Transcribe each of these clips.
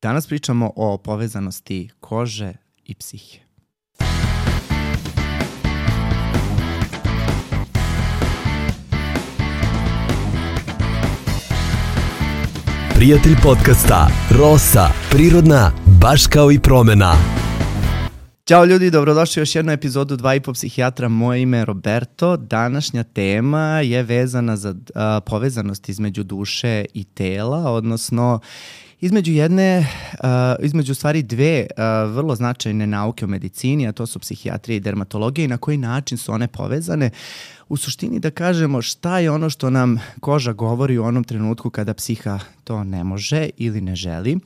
Danas pričamo o povezanosti kože i psihe. Prijatelj podcasta Rosa, prirodna, baš kao i promena. Ćao ljudi, dobrodošli u još jednu epizodu 2,5 psihijatra. Moje ime je Roberto. Današnja tema je vezana za povezanost između duše i tela, odnosno između stvari dve vrlo značajne nauke u medicini, a to su psihijatrija i dermatologija i na koji način su one povezane. U suštini da kažemo šta je ono što nam koža govori u onom trenutku kada psiha to ne može ili ne želi.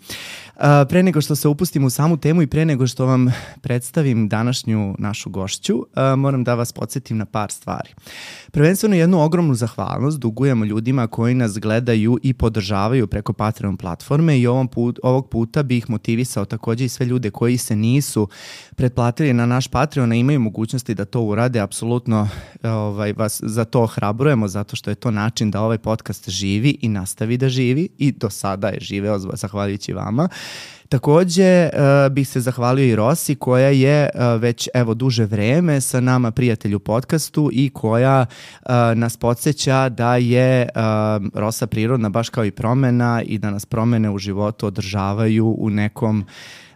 Pre nego što se upustim u samu temu i pre nego što vam predstavim današnju našu gošću, moram da vas podsjetim na par stvari. Prvenstveno jednu ogromnu zahvalnost dugujemo ljudima koji nas gledaju i podržavaju preko Patreon platforme i ovog puta bih motivisao takođe i sve ljude koji se nisu pretplatili na naš Patreon, a imaju mogućnosti da to urade. Apsolutno vas za to ohrabrujemo, zato što je to način da ovaj podcast živi i nastavi da živi i do sada je živeo zahvaljujući vama. Takođe bih se zahvalio i Rosi koja je već duže vreme sa nama prijatelj u podcastu i koja nas podsjeća da je Rosa prirodna baš kao i promena i da nas promene u životu održavaju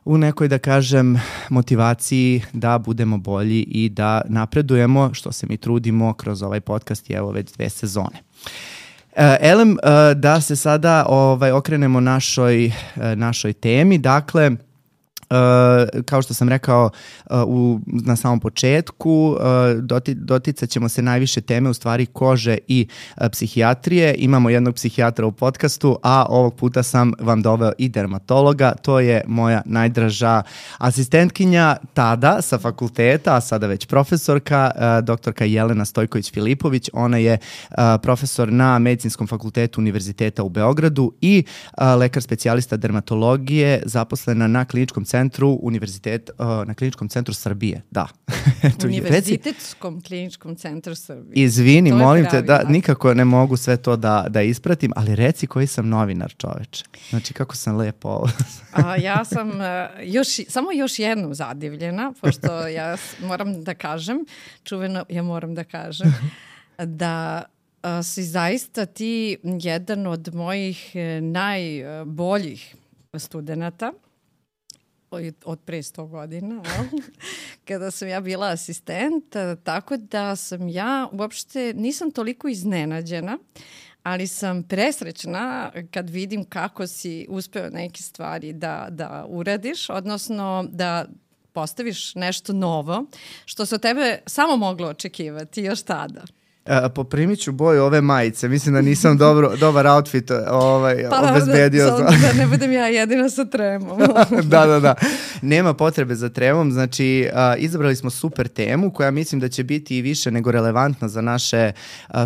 u nekoj, da kažem, motivaciji da budemo bolji i da napredujemo, što se mi trudimo kroz ovaj podcast i evo već 2 sezone. Elem, da se sada okrenemo našoj temi. Dakle, kao što sam rekao na samom početku, doticat ćemo se najviše teme u stvari kože i psihijatrije. Imamo jednog psihijatra u podcastu, a ovog puta sam vam doveo i dermatologa. To je moja najdraža asistentkinja tada sa fakulteta, a sada već profesorka, doktorka Jelena Stojković-Filipović. Ona je profesor na Medicinskom fakultetu Univerziteta u Beogradu i lekar specijalista dermatologije, zaposlena na kliničkom centru na Kliničkom centru Srbije, da. Univerzitetskom kliničkom centru Srbije. Izvini, molim te, da nikako ne mogu sve to da ispratim, ali reci koji sam novinar, čoveče. Znači, kako sam lepo. Ja sam samo još jednom zadivljena, pošto ja moram da kažem, da si zaista ti jedan od mojih najboljih studenata od pre 100 godina, kada sam ja bila asistent, tako da sam ja uopšte nisam toliko iznenađena, ali sam presrećna kad vidim kako si uspeo neke stvari da uradiš, odnosno da postaviš nešto novo, što se od tebe samo moglo očekivati još tada. Poprimit ću boju ove majice. Mislim da nisam dobar outfit obezbedio. Da ne budem ja jedina sa tremom. Da. Nema potrebe za tremom. Znači, izabrali smo super temu koja mislim da će biti i više nego relevantna za naše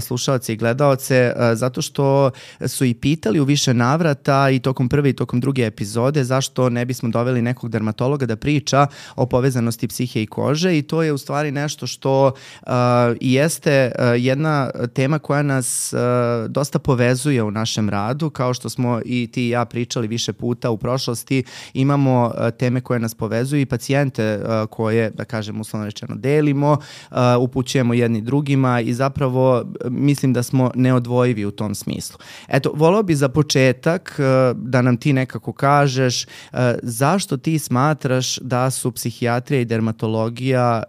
slušaoce i gledaoce, zato što su i pitali u više navrata i tokom prve i tokom druge epizode zašto ne bismo doveli nekog dermatologa da priča o psihe i kože, i to je u stvari nešto što jeste jedna tema koja nas dosta povezuje u našem radu. Kao što smo i ti i ja pričali više puta u prošlosti, imamo teme koje nas povezuju i pacijente koje, da kažem, uslovno rečeno delimo, upućujemo jedni drugima i zapravo mislim da smo neodvojivi u tom smislu. Eto, voleo bi za početak da nam ti nekako kažeš zašto ti smatraš da su psihijatrija i dermatologija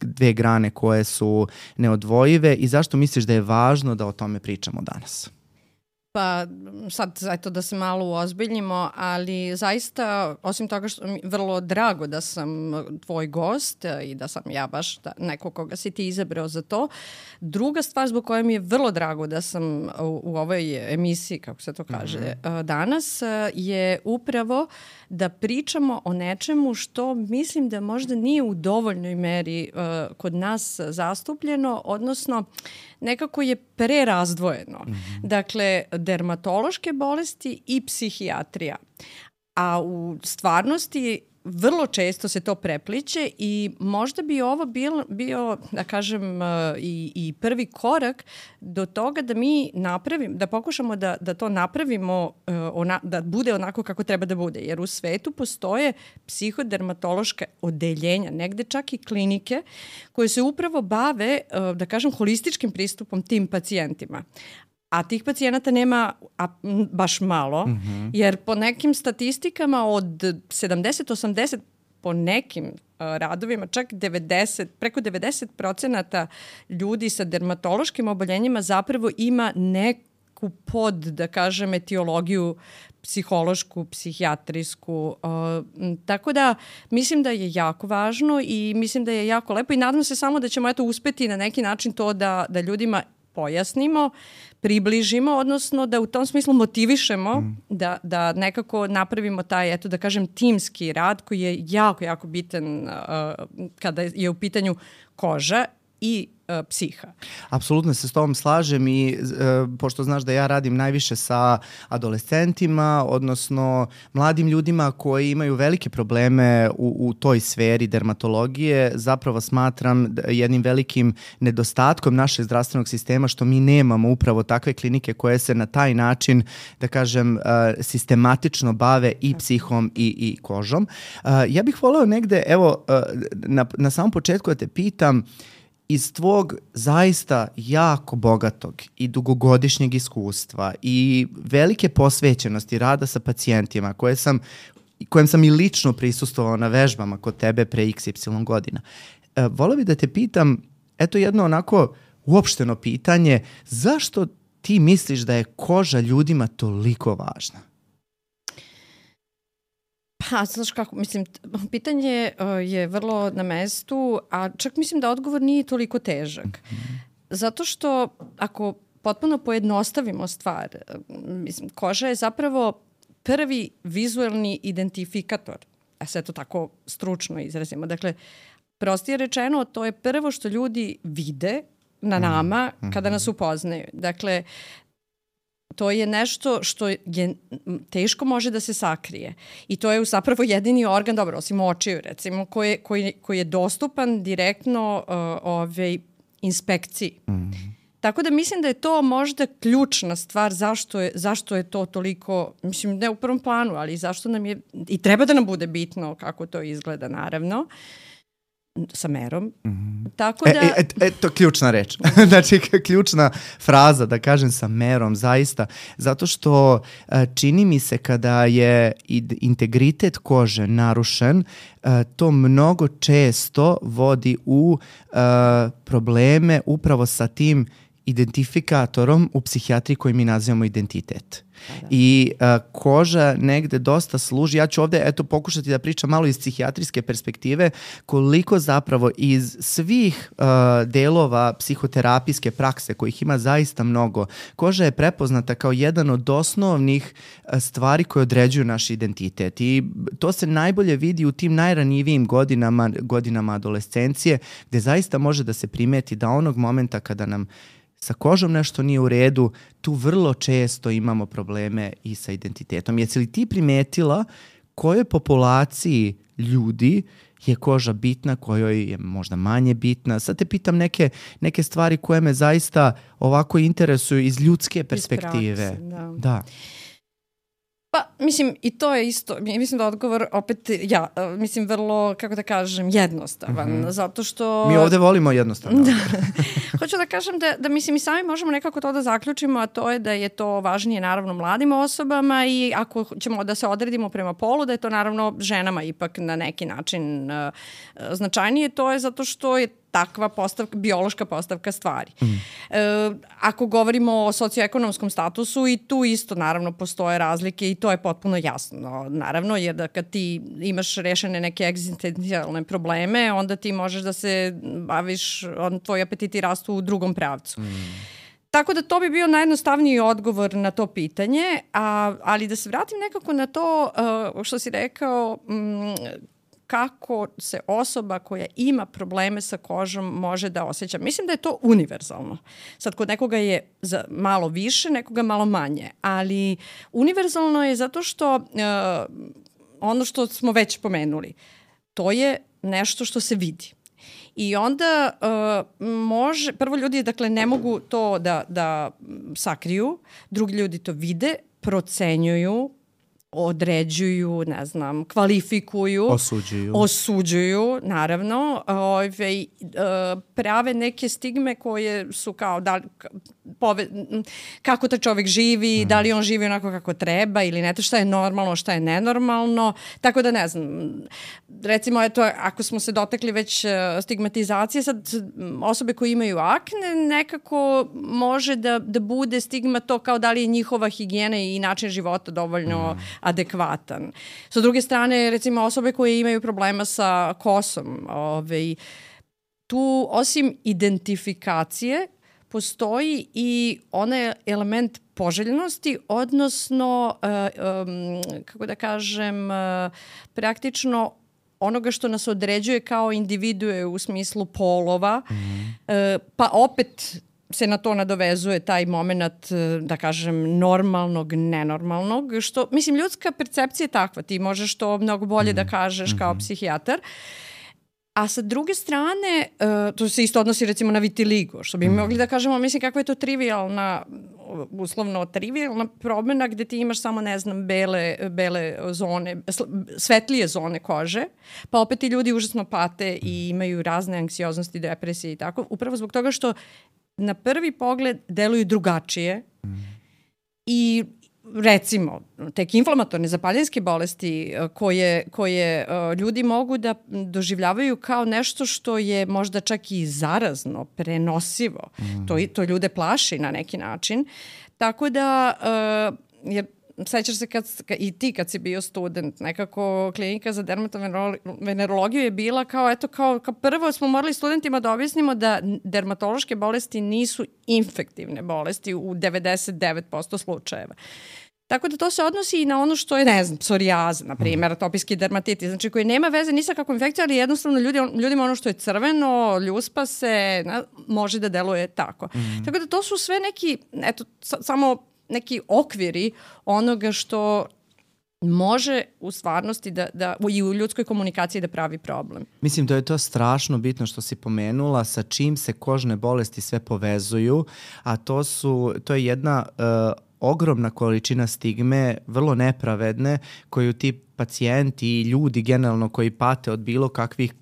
dve grane koje su neodvojive i zašto misliš da je važno da o tome pričamo danas? Pa sad, eto da se malo uozbiljimo, ali zaista, osim toga što mi je vrlo drago da sam tvoj gost i da sam ja baš neko koga si ti izabrao za to. Druga stvar zbog koje mi je vrlo drago da sam u ovoj emisiji, kako se to kaže, danas, je upravo da pričamo o nečemu što mislim da možda nije u dovoljnoj meri kod nas zastupljeno, odnosno nekako je prerazdvojeno. Dakle, dermatološke bolesti i psihijatrija. A u stvarnosti vrlo često se to prepliće i možda bi ovo bio da kažem, i prvi korak do toga da mi da pokušamo da to napravimo, da bude onako kako treba da bude. Jer u svetu postoje psihodermatološka odeljenja, negde čak i klinike, koje se upravo bave, da kažem, holističkim pristupom tim pacijentima. A tih pacijenata nema baš malo, jer po nekim statistikama od 70-80, po nekim radovima, čak 90, preko 90% ljudi sa dermatološkim oboljenjima zapravo ima neku da kažem, etiologiju psihološku, psihijatrijsku. Tako da mislim da je jako važno i mislim da je jako lepo i nadam se samo da ćemo uspeti na neki način to da ljudima pojasnimo, približimo, odnosno da u tom smislu motivišemo da nekako napravimo taj, da kažem, timski rad koji je jako, jako bitan kada je u pitanju koža i psiha. Apsolutno se s tobom slažem i pošto znaš da ja radim najviše sa adolescentima, odnosno mladim ljudima koji imaju velike probleme u toj sferi dermatologije, zapravo smatram jednim velikim nedostatkom našeg zdravstvenog sistema što mi nemamo upravo takve klinike koje se na taj način, da kažem, sistematično bave i psihom i kožom. Ja bih voleo negde, evo, na samom početku da te pitam, iz tvog zaista jako bogatog i dugogodišnjeg iskustva i velike posvećenosti rada sa pacijentima kojem sam i lično prisustvovao na vežbama kod tebe pre XY godina, voleo bih da te pitam, jedno onako uopšteno pitanje, zašto ti misliš da je koža ljudima toliko važna? Znaš kako, mislim, pitanje je vrlo na mestu, a čak mislim da odgovor nije toliko težak. Zato što ako potpuno pojednostavimo stvar, mislim, koža je zapravo prvi vizuelni identifikator, a sve to tako stručno izrazimo. Dakle, prostije rečeno, to je prvo što ljudi vide na nama kada nas upoznaju. Dakle, to je nešto što je teško može da se sakrije. I to je zapravo jedini organ, dobro, osim očiju recimo, koji je dostupan direktno inspekciji. Tako da mislim da je to možda ključna stvar zašto je to toliko, mislim, ne u prvom planu, ali zašto nam je, i treba da nam bude bitno kako to izgleda, naravno, sa merom. Tako da... To je ključna reč. Znači, ključna fraza, da kažem, sa merom, zaista. Zato što čini mi se kada je integritet kože narušen, to mnogo često vodi u probleme upravo sa tim identifikatorom u psihijatriji koji mi nazivamo identitet. I koža negde dosta služi. Ja ću ovde pokušati da pričam malo iz psihijatrijske perspektive koliko zapravo iz svih delova psihoterapijske prakse kojih ima zaista mnogo, koža je prepoznata kao jedan od osnovnih stvari koje određuju naš identitet i to se najbolje vidi u tim najranjivijim godinama adolescencije gde zaista može da se primeti da onog momenta kada nam sa kožom nešto nije u redu, tu vrlo često imamo probleme i sa identitetom. Jesi li ti primetila kojoj populaciji ljudi je koža bitna, kojoj je možda manje bitna? Sad te pitam neke stvari koje me zaista ovako interesuju iz ljudske perspektive. Iz prakse, da. Pa, mislim, i to je isto, mislim da odgovor opet, mislim, vrlo, kako da kažem, jednostavan, zato što... Mi ovde volimo jednostavno. Hoću da kažem da mislim, i sami možemo nekako to da zaključimo, a to je da je to važnije, naravno, mladim osobama i ako ćemo da se odredimo prema polu, da je to, naravno, ženama ipak na neki način značajnije, to je zato što je takva biološka postavka stvari. Ako govorimo o socioekonomskom statusu i tu isto naravno postoje razlike i to je potpuno jasno. Naravno, jer da kad ti imaš rešene neke egzistencijalne probleme, onda ti možeš da se baviš, tvoji apetiti rastu u drugom pravcu. Tako da to bi bio najjednostavniji odgovor na to pitanje, ali da se vratim nekako na to što si rekao, kako se osoba koja ima probleme sa kožom može da osjeća. Mislim da je to univerzalno. Sad, kod nekoga je malo više, nekoga malo manje, ali univerzalno je zato što ono što smo već pomenuli, to je nešto što se vidi. I onda prvo ljudi dakle ne mogu to da sakriju, drugi ljudi to vide, procenjuju, određuju, ne znam, kvalifikuju, osuđuju, naravno, prave neke stigme koje su kao kako ta čovjek živi, da li on živi onako kako treba ili ne, šta je normalno, šta je nenormalno, tako da ne znam, recimo eto, ako smo se dotakli već stigmatizacije, sad osobe koje imaju akne, nekako može da bude stigma to kao da li je njihova higijena i način života dovoljno adekvatan. Sa druge strane, recimo osobe koje imaju problema sa kosom, tu osim identifikacije postoji i onaj element poželjnosti, odnosno, kako da kažem, praktično onoga što nas određuje kao individue u smislu polova, pa opet se na to nadovezuje taj moment, da kažem, normalnog, nenormalnog, što, mislim, ljudska percepcija je takva, ti možeš to mnogo bolje da kažeš kao psihijatar. A sa druge strane, to se isto odnosi recimo na vitiligo, što bi mogli da kažemo, mislim kako je to trivialna, uslovno trivialna promjena gde ti imaš samo, ne znam, bele zone, svetlije zone kože, pa opet ti ljudi užasno pate i imaju razne anksioznosti, depresije i tako, upravo zbog toga što na prvi pogled deluju drugačije i recimo, tek inflamatorne zapaljenske bolesti koje ljudi mogu da doživljavaju kao nešto što je možda čak i zarazno, prenosivo. To ljude plaši na neki način. Tako da, jer sećaš se i ti kad si bio student, nekako klinika za dermatovenerologiju je bila kao prvo smo morali studentima da objasnimo da dermatološke bolesti nisu infektivne bolesti u 99% slučajeva. Tako da to se odnosi i na ono što je, ne znam, psorijaza, na primjer, atopijski dermatitis, znači koji nema veze ni sa kakvom infekcijom, ali jednostavno ljudima ono što je crveno, ljuspa se, može da deluje tako. Tako da to su sve neki, samo neki okviri onoga što može u stvarnosti i u ljudskoj komunikaciji da pravi problem. Mislim da je to strašno bitno što si pomenula sa čim se kožne bolesti sve povezuju, a to je jedna ogromna količina stigme, vrlo nepravedne, koju ti pacijenti i ljudi generalno koji pate od bilo kakvih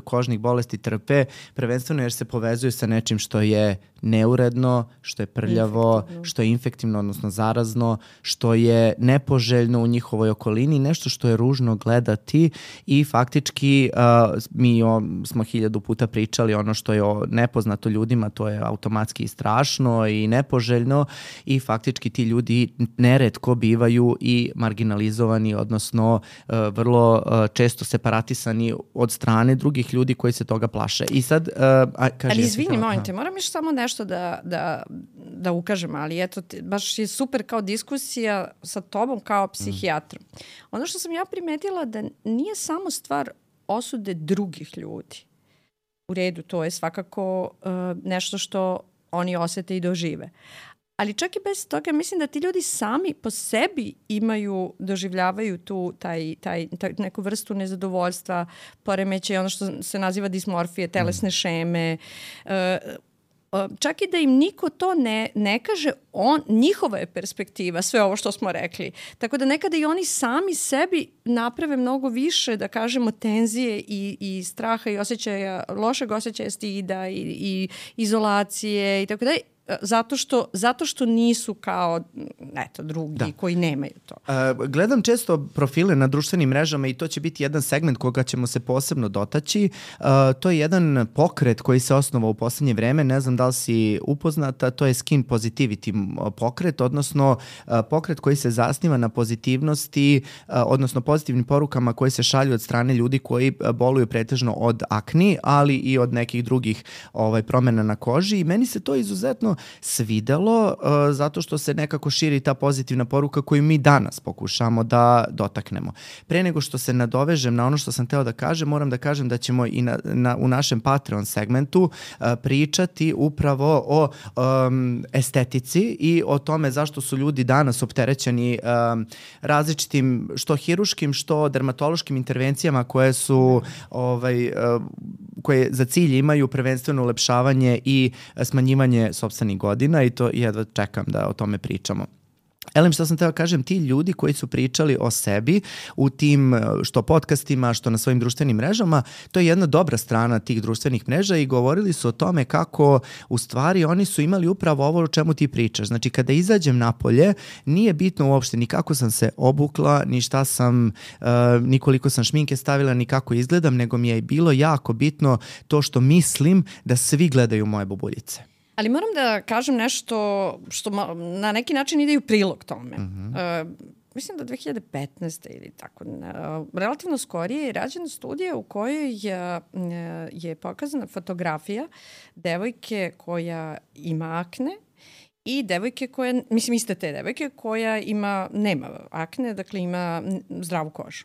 kožnih bolesti trpe, prvenstveno jer se povezuju sa nečim što je neuredno, što je prljavo, što je infektivno, odnosno zarazno, što je nepoželjno u njihovoj okolini, nešto što je ružno gledati i faktički mi smo 1000 puta pričali ono što je nepoznato ljudima, to je automatski strašno i nepoželjno i faktički ti ljudi neretko bivaju i marginalizovani, odnosno vrlo često separatisani od strane drugih ljudi koji se toga plaše. I sad, ali izvini, molim te, moram još samo nešto da ukažem, ali eto, baš je super kao diskusija sa tobom kao psihijatrom. Ono što sam ja primetila da nije samo stvar osude drugih ljudi. U redu, to je svakako nešto što oni osete i dožive. Ali čak i bez toga mislim da ti ljudi sami po sebi doživljavaju taj neku vrstu nezadovoljstva, poremećaja, ono što se naziva dismorfije, telesne šeme. Čak i da im niko to ne kaže, njihova je perspektiva, sve ovo što smo rekli. Tako da nekada i oni sami sebi naprave mnogo više, da kažemo, tenzije i straha i lošeg osjećaja stida i izolacije i tako da. Zato što nisu kao drugi koji nemaju to. Gledam često profile na društvenim mrežama i to će biti jedan segment koga ćemo se posebno dotaći. To je jedan pokret koji se osnovao u poslednje vreme, ne znam da li si upoznata, to je skin positivity pokret, odnosno pokret koji se zasniva na pozitivnosti, odnosno pozitivnim porukama koji se šalju od strane ljudi koji boluju pretežno od akni, ali i od nekih drugih promjena na koži i meni se to izuzetno svidelo zato što se nekako širi ta pozitivna poruka koju mi danas pokušamo da dotaknemo. Pre nego što se nadovežem na ono što sam teo da kažem, moram da kažem da ćemo i u našem Patreon segmentu pričati upravo o estetici i o tome zašto su ljudi danas opterećeni različitim što hiruškim, što dermatološkim intervencijama koje su koje za cilj imaju prvenstveno ulepšavanje i smanjivanje sopstvenih godina i to jedva čekam da o tome pričamo. Elem, što sam teo kažem, ti ljudi koji su pričali o sebi u tim što podcastima, što na svojim društvenim mrežama, to je jedna dobra strana tih društvenih mreža i govorili su o tome kako u stvari oni su imali upravo ovo o čemu ti pričaš. Znači, kada izađem napolje, nije bitno uopšte ni kako sam se obukla, ni šta sam, ni koliko sam šminke stavila, ni kako izgledam, nego mi je bilo jako bitno to što mislim da svi gledaju moje bubuljice. Ali moram da kažem nešto što na neki način ide u prilog tome. Mislim da 2015. ili tako, relativno skorije je rađena studija u kojoj je pokazana fotografija devojke koja ima akne i devojke koja, mislim iste te devojke koja nema akne, dakle ima zdravu kožu.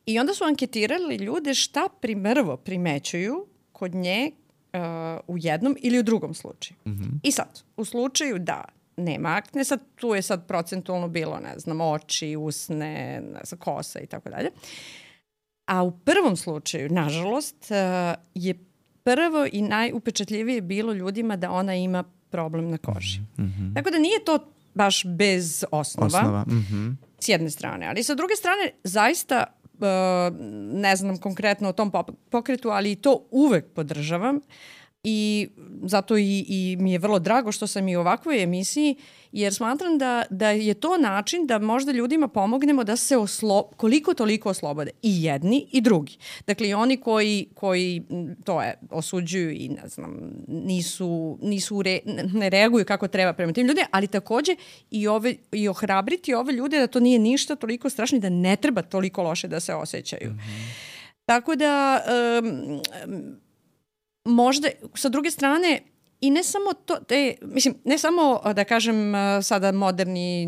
I onda su anketirali ljude šta prvo primećuju kod nje u jednom ili u drugom slučaju. I sad, u slučaju da nema akne, sad tu je sad procentualno bilo, ne znam, oči, usne, ne znam, kosa i tako dalje. A u prvom slučaju, nažalost, je prvo i najupečatljivije bilo ljudima da ona ima problem na koži. Tako da nije to baš bez osnova. S jedne strane. Ali sa druge strane, zaista ne znam konkretno o tom pokretu, ali to uvek podržavam i zato i mi je vrlo drago što sam i u ovakvoj emisiji, jer smatram da je to način da možda ljudima pomognemo da se koliko toliko oslobode. I jedni i drugi. Dakle, i oni koji to osuđuju i ne znam, ne reaguju kako treba prema tim ljudima, ali takođe i ohrabriti ove ljude da to nije ništa toliko strašno i da ne treba toliko loše da se osjećaju. Tako da možda, sa druge strane, i ne samo to, ne samo da kažem sada moderni,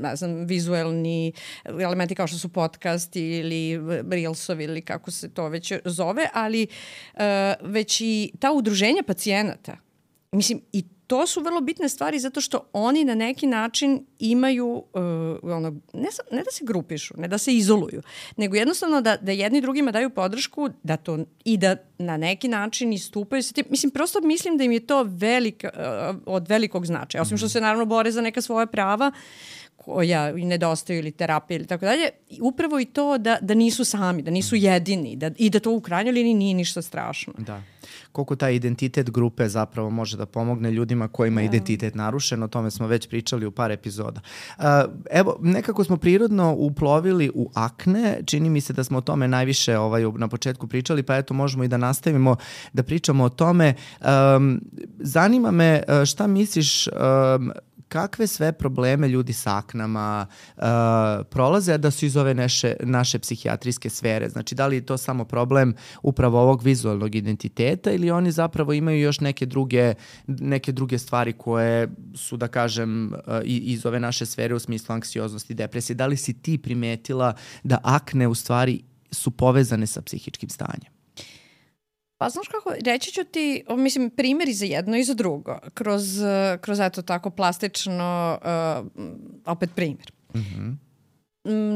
ne znam, vizuelni elementi kao što su podcasti ili reelsovi ili kako se to već zove, ali već i ta udruženja pacijenata. Mislim, i to su vrlo bitne stvari zato što oni na neki način imaju, ne da se grupišu, ne da se izoluju, nego jednostavno da jedni drugima daju podršku i da na neki način istupaju sa tim. Mislim, prosto mislim da im je to od velikog značaja. Osim što se naravno bore za neka svoja prava koja i nedostaju ili terapije ili tako dalje. Upravo i to da nisu sami, da nisu jedini i da to u krajnjoj liniji nije ništa strašno. Da. Koliko taj identitet grupe zapravo može da pomogne ljudima kojima je identitet narušen, o tome smo već pričali u par epizoda. Evo, nekako smo prirodno uplovili u akne, čini mi se da smo o tome najviše na početku pričali, pa eto možemo i da nastavimo da pričamo o tome. Zanima me šta misliš, kakve sve probleme ljudi sa aknama prolaze da su iz ove naše psihijatrijske sfere? Znači, da li je to samo problem upravo ovog vizualnog identiteta ili oni zapravo imaju još neke druge stvari koje su, da kažem, iz ove naše sfere u smislu anksioznosti, depresije? Da li si ti primetila da akne u stvari su povezane sa psihičkim stanjem? Pa znaš kako, reći ću ti, mislim, primjeri za jedno i za drugo, kroz eto tako plastično, opet primjer.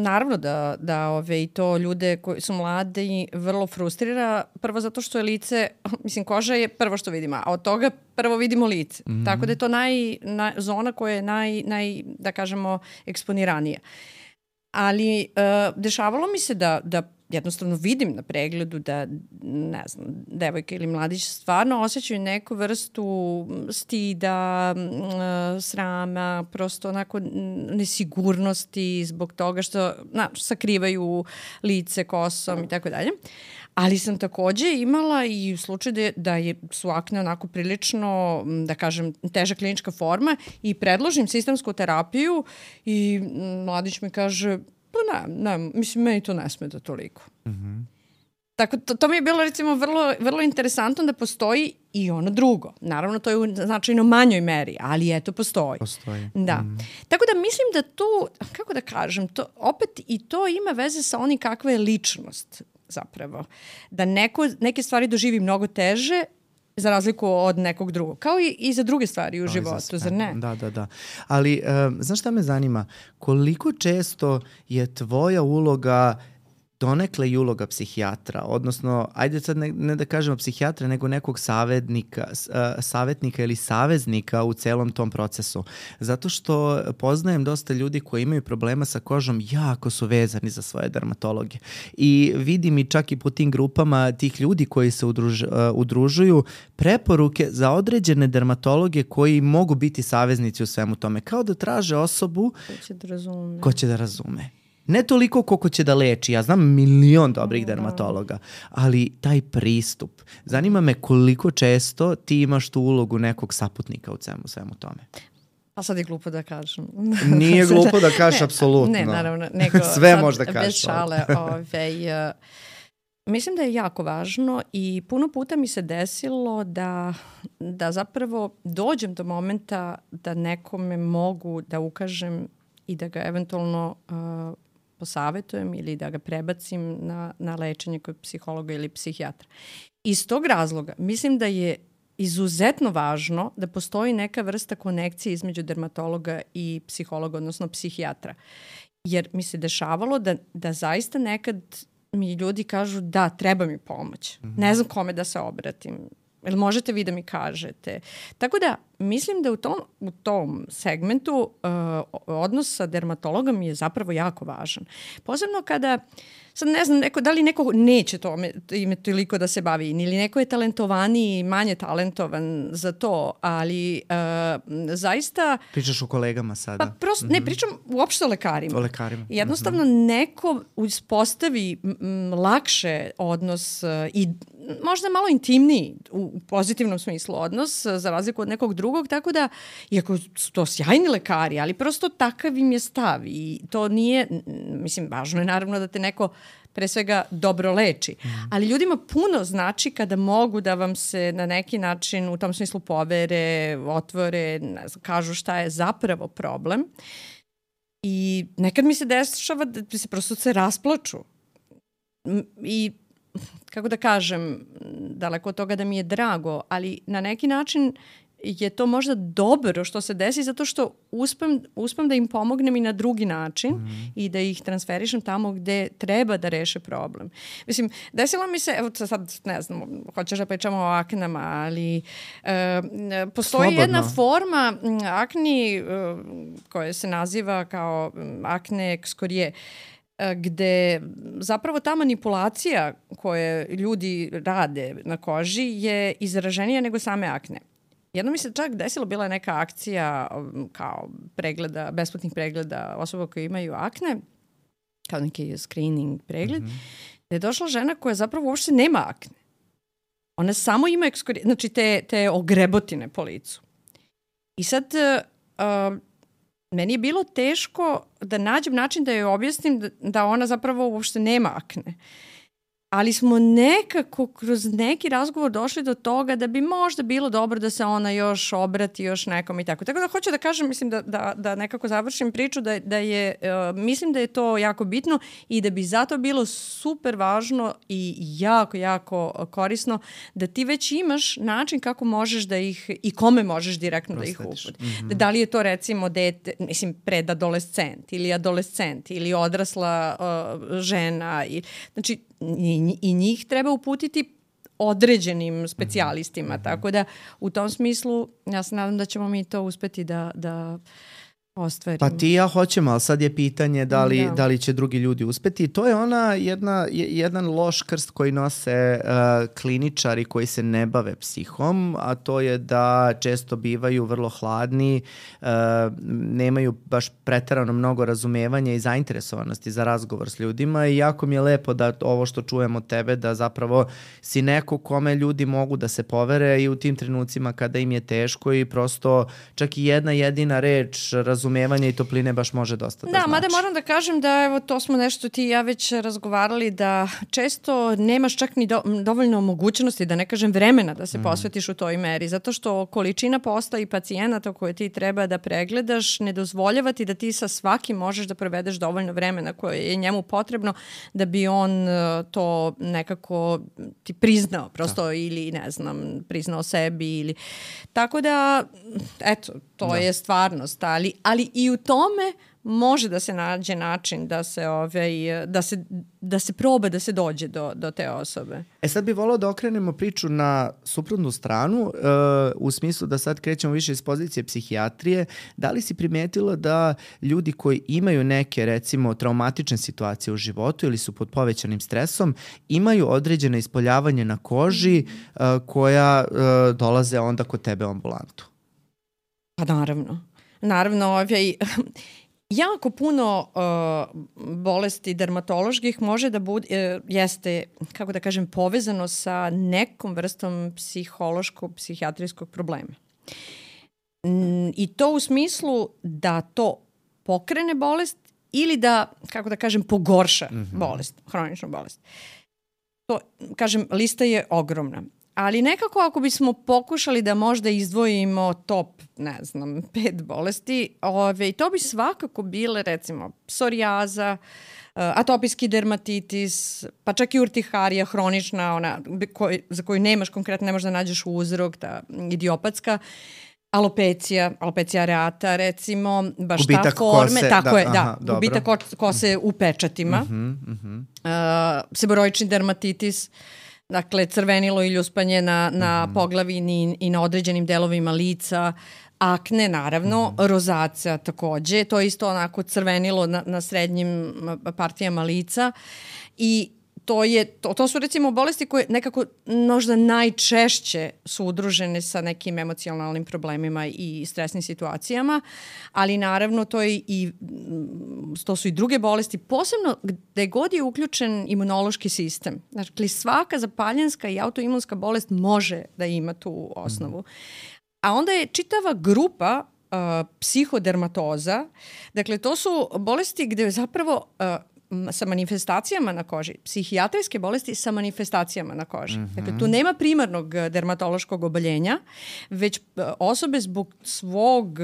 Naravno da i to ljude koji su mladi vrlo frustrira, prvo zato što je lice, mislim, koža je prvo što vidimo, a od toga prvo vidimo lice. Tako da je to zona koja je da kažemo, eksponiranija. Ali dešavalo mi se da jednostavno vidim na pregledu da, ne znam, devojka ili mladić stvarno osjećaju neku vrstu stida, srama, prosto onako nesigurnosti zbog toga što sakrivaju lice kosom i tako dalje. Ali sam takođe imala i u slučaju da su akne onako prilično, da kažem, teža klinička forma i predložim sistemsku terapiju i mladić mi kaže, pa ne, mislim, meni to ne smeta toliko. Tako, to mi je bilo recimo vrlo interesantno da postoji i ono drugo. Naravno, to je u značajno manjoj meri, ali eto, postoji. Da. Tako da mislim da tu, kako da kažem, to, opet i to ima veze sa onim kakva je ličnost zapravo. Da neke stvari doživi mnogo teže za razliku od nekog drugog. Kao i za druge stvari u životu, zar ne? Da. Ali, znaš šta me zanima? Koliko često je tvoja uloga donekle i uloga psihijatra, odnosno, ajde sad ne da kažemo psihijatra, nego nekog savjetnika ili saveznika u celom tom procesu. Zato što poznajem dosta ljudi koji imaju problema sa kožom, jako su vezani za svoje dermatologe. I vidim i čak i po tim grupama tih ljudi koji se udružuju preporuke za određene dermatologe koji mogu biti saveznici u svemu tome. Kao da traže osobu ko će da razume. Ne toliko koliko će da leči, ja znam milion dobrih dermatologa, ali taj pristup. Zanima me koliko često ti imaš tu ulogu nekog saputnika u svemu tome. A sad je glupo da kažem. Nije glupo da kažeš, apsolutno. Ne, naravno. Nego, sve možda kažeš. Bez šale. Mislim da je jako važno i puno puta mi se desilo da zapravo dođem do momenta da nekome mogu da ukažem i da ga eventualno posavetujem ili da ga prebacim na lečenje kod psihologa ili psihijatra. Iz tog razloga mislim da je izuzetno važno da postoji neka vrsta konekcije između dermatologa i psihologa, odnosno psihijatra. Jer mi se dešavalo da zaista nekad mi ljudi kažu da, treba mi pomoć. Ne znam kome da se obratim. Jel možete vi da mi kažete? Tako da mislim da u tom segmentu odnos sa dermatologom je zapravo jako važan. Posebno kada, sad ne znam, da li neko neće ime toliko da se bavi ili neko je talentovaniji, manje talentovan za to, ali zaista... Pričaš o kolegama sada? Pa prosto, ne, pričam uopšte o lekarima. O lekarima. Jednostavno neko uspostavi lakše odnos i možda malo intimniji u pozitivnom smislu odnos za razliku od nekog drugog, tako da, iako su to sjajni lekari, ali prosto takav im je stav i to nije, mislim, važno je naravno da te neko pre svega dobro leči, ali ljudima puno znači kada mogu da vam se na neki način u tom smislu povere, otvore, kažu šta je zapravo problem i nekad mi se dešava da se prosto rasplaču i kako da kažem, daleko od toga da mi je drago, ali na neki način je to možda dobro što se desi zato što uspem da im pomognem i na drugi način i da ih transferišem tamo gde treba da reše problem. Mislim, desilo mi se, evo sad ne znam, hoćeš da pričamo o aknama, ali postoji Slobodno. jedna forma akni koja se naziva kao akne ekskorije, gde zapravo ta manipulacija koje ljudi rade na koži je izraženija nego same akne. Jedno mi se čak desilo, bila je neka akcija kao pregleda, besplatnih pregleda osoba koje imaju akne, kao neki screening pregled, gde je došla žena koja zapravo uopšte nema akne. Ona samo ima znači te ogrebotine po licu. I sad meni je bilo teško da nađem način da joj objasnim da ona zapravo uopšte nema akne. Ali smo nekako kroz neki razgovor došli do toga da bi možda bilo dobro da se ona još obrati još nekom i tako. Tako da hoću da kažem, mislim da nekako završim priču da je, mislim da je to jako bitno i da bi zato bilo super važno i jako, jako korisno da ti već imaš način kako možeš da ih i kome možeš direktno da ih uputi. Da li je to recimo dete, mislim predadolescent ili adolescent ili odrasla žena. Znači, i njih treba uputiti određenim specijalistima, tako da u tom smislu ja se nadam da ćemo mi to uspeti da ostvarimo. Pa ti ja hoćemo, ali sad je pitanje da li će drugi ljudi uspeti. To je ona jedan loš krst koji nose kliničari koji se ne bave psihom, a to je da često bivaju vrlo hladni, nemaju baš preterano mnogo razumevanja i zainteresovanosti za razgovor s ljudima i jako mi je lepo da ovo što čujem od tebe, da zapravo si neko kome ljudi mogu da se povere i u tim trenucima kada im je teško i prosto čak i jedna jedina reč razumevanja razumevanja i topline baš može dosta da znači. Mada moram da kažem da evo to smo nešto ti i ja već razgovarali, da često nemaš čak ni dovoljno mogućnosti, da ne kažem vremena da se posvetiš u toj meri, zato što količina posla i pacijenata koje ti treba da pregledaš ne dozvoljava ti da ti sa svakim možeš da provedeš dovoljno vremena koje je njemu potrebno da bi on to nekako ti priznao prosto ili ne znam, priznao sebi ili tako da eto, to je stvarnost, ali i u tome može da se nađe način da se proba da se dođe do te osobe. Sad bih volao da okrenemo priču na suprotnu stranu, u smislu da sad krećemo više iz pozicije psihijatrije. Da li si primetila da ljudi koji imaju neke, recimo, traumatične situacije u životu ili su pod povećanim stresom, imaju određene ispoljavanje na koži koja dolaze onda kod tebe u ambulantu? Pa naravno, jako puno bolesti dermatoloških može da bude, jeste, kako da kažem, povezano sa nekom vrstom psihološko-psihijatrijskog problema. I to u smislu da to pokrene bolest ili da, kako da kažem, pogorša bolest, hroničnu bolest. To, kažem, lista je ogromna. Ali nekako ako bismo pokušali da možda izdvojimo top, 5 bolesti, to bi svakako bile recimo psorijaza, atopijski dermatitis, pa čak i urtiharija hronična, ona za koju nemaš konkretno, ne možeš da nađeš uzrok, ta idiopatska, alopecija areata, recimo, baš gubitak ta forme, kose, tako je, gubitak kose u pečatima, seboroični dermatitis, dakle, crvenilo ili uspanje na poglavini i na određenim delovima lica, akne, naravno, rozacija takođe, to je isto onako crvenilo na srednjim partijama lica i to su recimo bolesti koje nekako možda najčešće su udružene sa nekim emocionalnim problemima i stresnim situacijama, ali naravno to su i druge bolesti, posebno gde god je uključen imunološki sistem. Dakle, svaka zapaljenska i autoimunska bolest može da ima tu osnovu. A onda je čitava grupa psihodermatoza, dakle to su bolesti gde zapravo sa manifestacijama na koži, psihijatrijske bolesti sa manifestacijama na koži. Dakle, tu nema primarnog dermatološkog oboljenja, već osobe zbog svog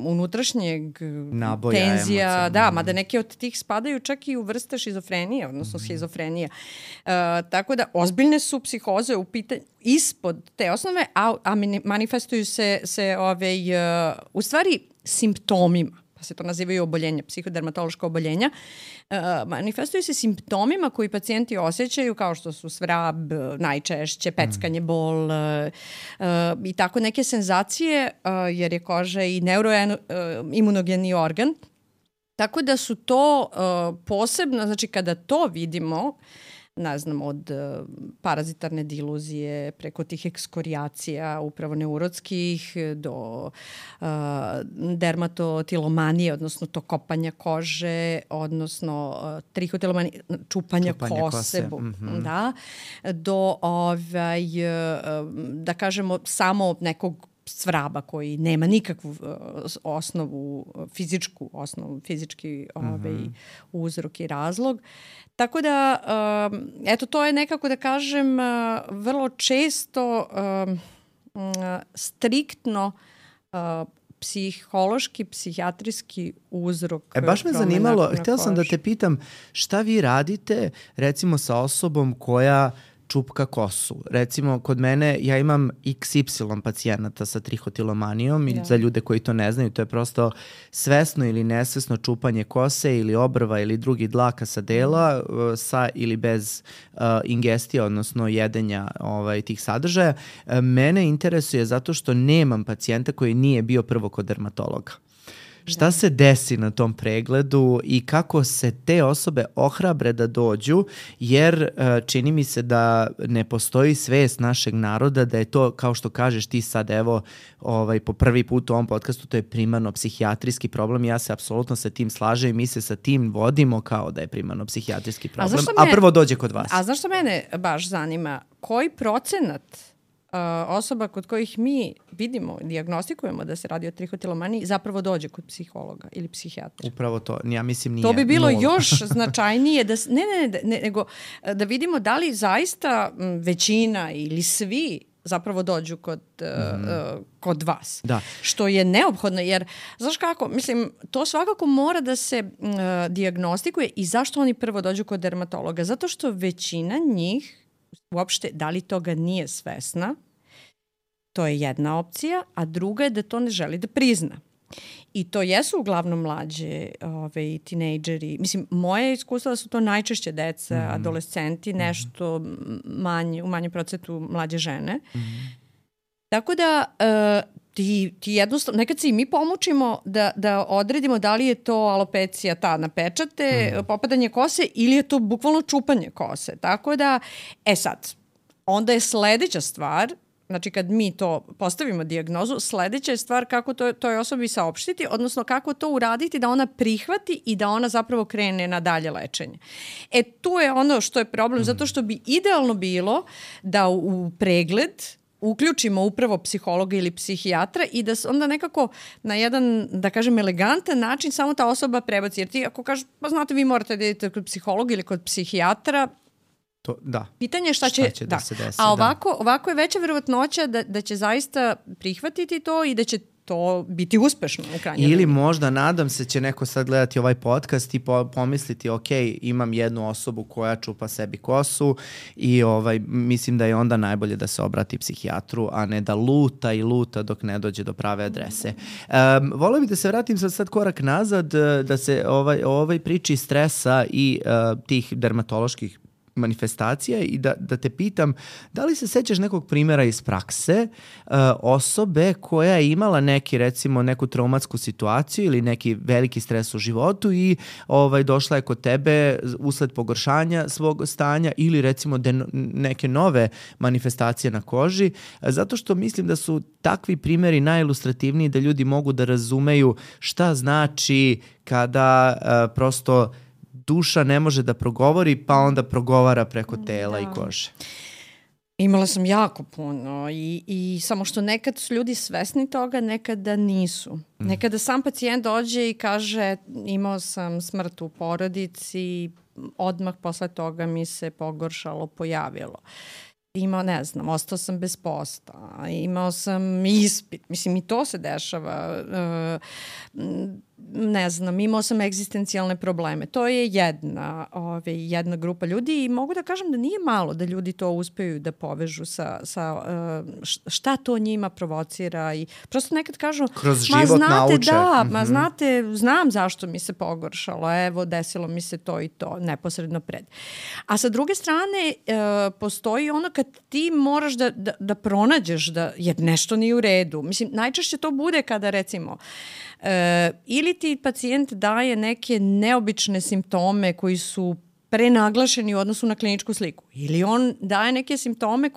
unutrašnjeg naboja, tenzija, emocija. Mada neke od tih spadaju čak i u vrste šizofrenije, odnosno schizofrenija. Tako da, ozbiljne su psihoze u pitanju ispod te osnove, a manifestuju se u stvari simptomima. Se to nazivaju oboljenja, psihodermatološka oboljenja, manifestuju se simptomima koji pacijenti osjećaju kao što su svrab, najčešće, peckanje, bol i tako neke senzacije, jer je koža i neuroimunogeni organ. Tako da su to posebno, znači kada to vidimo, od parazitarne diluzije, preko tih ekskorijacija, upravo neurotskih, do dermatotilomanije, odnosno to kopanja kože, odnosno trihotilomanije, čupanja kose, do da kažemo samo nekog svraba koji nema nikakvu fizički uzrok i razlog. Tako da, to je nekako da kažem vrlo često striktno psihološki, psihijatrijski uzrok. Baš me zanimalo, htjela sam da te pitam šta vi radite recimo sa osobom koja čupka kosu. Recimo, kod mene ja imam XY pacijenata sa trihotilomanijom i za ljude koji to ne znaju, to je prosto svesno ili nesvesno čupanje kose ili obrva ili drugih dlaka sa dela sa ili bez ingestija, odnosno jedenja tih sadržaja. Mene interesuje zato što nemam pacijenta koji nije bio prvo kod dermatologa. Šta se desi na tom pregledu i kako se te osobe ohrabre da dođu, jer čini mi se da ne postoji svest našeg naroda da je to, kao što kažeš ti sad, evo, po prvi put u ovom podcastu, to je primarno psihijatrijski problem. Ja se apsolutno sa tim slažem i mi se sa tim vodimo kao da je primarno psihijatrijski problem. A prvo dođe kod vas. A znaš što mene baš zanima? Koji procenat osoba kod kojih mi vidimo, dijagnostikujemo da se radi o trihotilomaniji, zapravo dođe kod psihologa ili psihijatra. Upravo to, ja mislim nije. To bi bilo 0. još značajnije, nego da vidimo da li zaista većina ili svi zapravo dođu kod vas. Da. Što je neophodno, jer, znaš kako, mislim, to svakako mora da se dijagnostikuje i zašto oni prvo dođu kod dermatologa? Zato što većina njih uopšte, da li toga nije svesna, to je jedna opcija, a druga je da to ne želi da prizna. I to jesu uglavnom mlađe tinejdžeri. Mislim, moje iskustvo da su to najčešće deca, adolescenti, nešto u manjem procentu mlađe žene. Tako da ti jednostavno, nekad se i mi pomučimo da odredimo da li je to alopecija ta na pečate, popadanje kose ili je to bukvalno čupanje kose. Tako da, sad, onda je sledeća stvar, znači kad mi to postavimo dijagnozu, sledeća je stvar kako toj osobi saopštiti, odnosno kako to uraditi da ona prihvati i da ona zapravo krene na dalje lečenje. Tu je ono što je problem, zato što bi idealno bilo da u pregled uključimo upravo psihologa ili psihijatra i da se onda nekako na jedan, da kažem, elegantan način samo ta osoba prebaci. Jer ti ako kažeš, pa znate, vi morate da idete kod psihologa ili kod psihijatra, to, da. Pitanje je šta će da se desi. A ovako je veća verovatnoća da će zaista prihvatiti to i da će to biti uspešno u krajnjoj Ili liniji. možda, nadam se, će neko sad gledati ovaj podcast i pomisliti, ok, imam jednu osobu koja čupa sebi kosu i mislim da je onda najbolje da se obrati psihijatru, a ne da luta dok ne dođe do prave adrese. Voleo bih da se vratim sad korak nazad, da se ovoj priči stresa i tih dermatoloških manifestacija i da te pitam, da li se sećaš nekog primjera iz prakse osobe koja je imala neku traumatsku situaciju ili neki veliki stres u životu i došla je kod tebe usled pogoršanja svog stanja ili recimo neke nove manifestacije na koži, zato što mislim da su takvi primjeri najilustrativniji da ljudi mogu da razumeju šta znači kada prosto duša ne može da progovori, pa onda progovara preko tela i kože. Imala sam jako puno i samo što nekad su ljudi svesni toga, nekada nisu. Nekada sam pacijent dođe i kaže imao sam smrt u porodici, odmah posle toga mi se pogoršalo, pojavilo. Ne znam, ostao sam bez posla, imao sam ispit, mislim i to se dešava, ne znam, imao sam egzistencijalne probleme. To je jedna grupa ljudi i mogu da kažem da nije malo da ljudi to uspeju da povežu sa šta to njima provocira i prosto nekad kažu kroz život nauče. Znate, znam zašto mi se pogoršalo, evo desilo mi se to i to neposredno pred. A sa druge strane postoji ono kad ti moraš da pronađeš jer nešto nije u redu. Mislim, najčešće to bude kada recimo ili ti pacijent daje neke neobične simptome koji su prenaglašeni u odnosu na kliničku sliku. Ili on daje neke simptome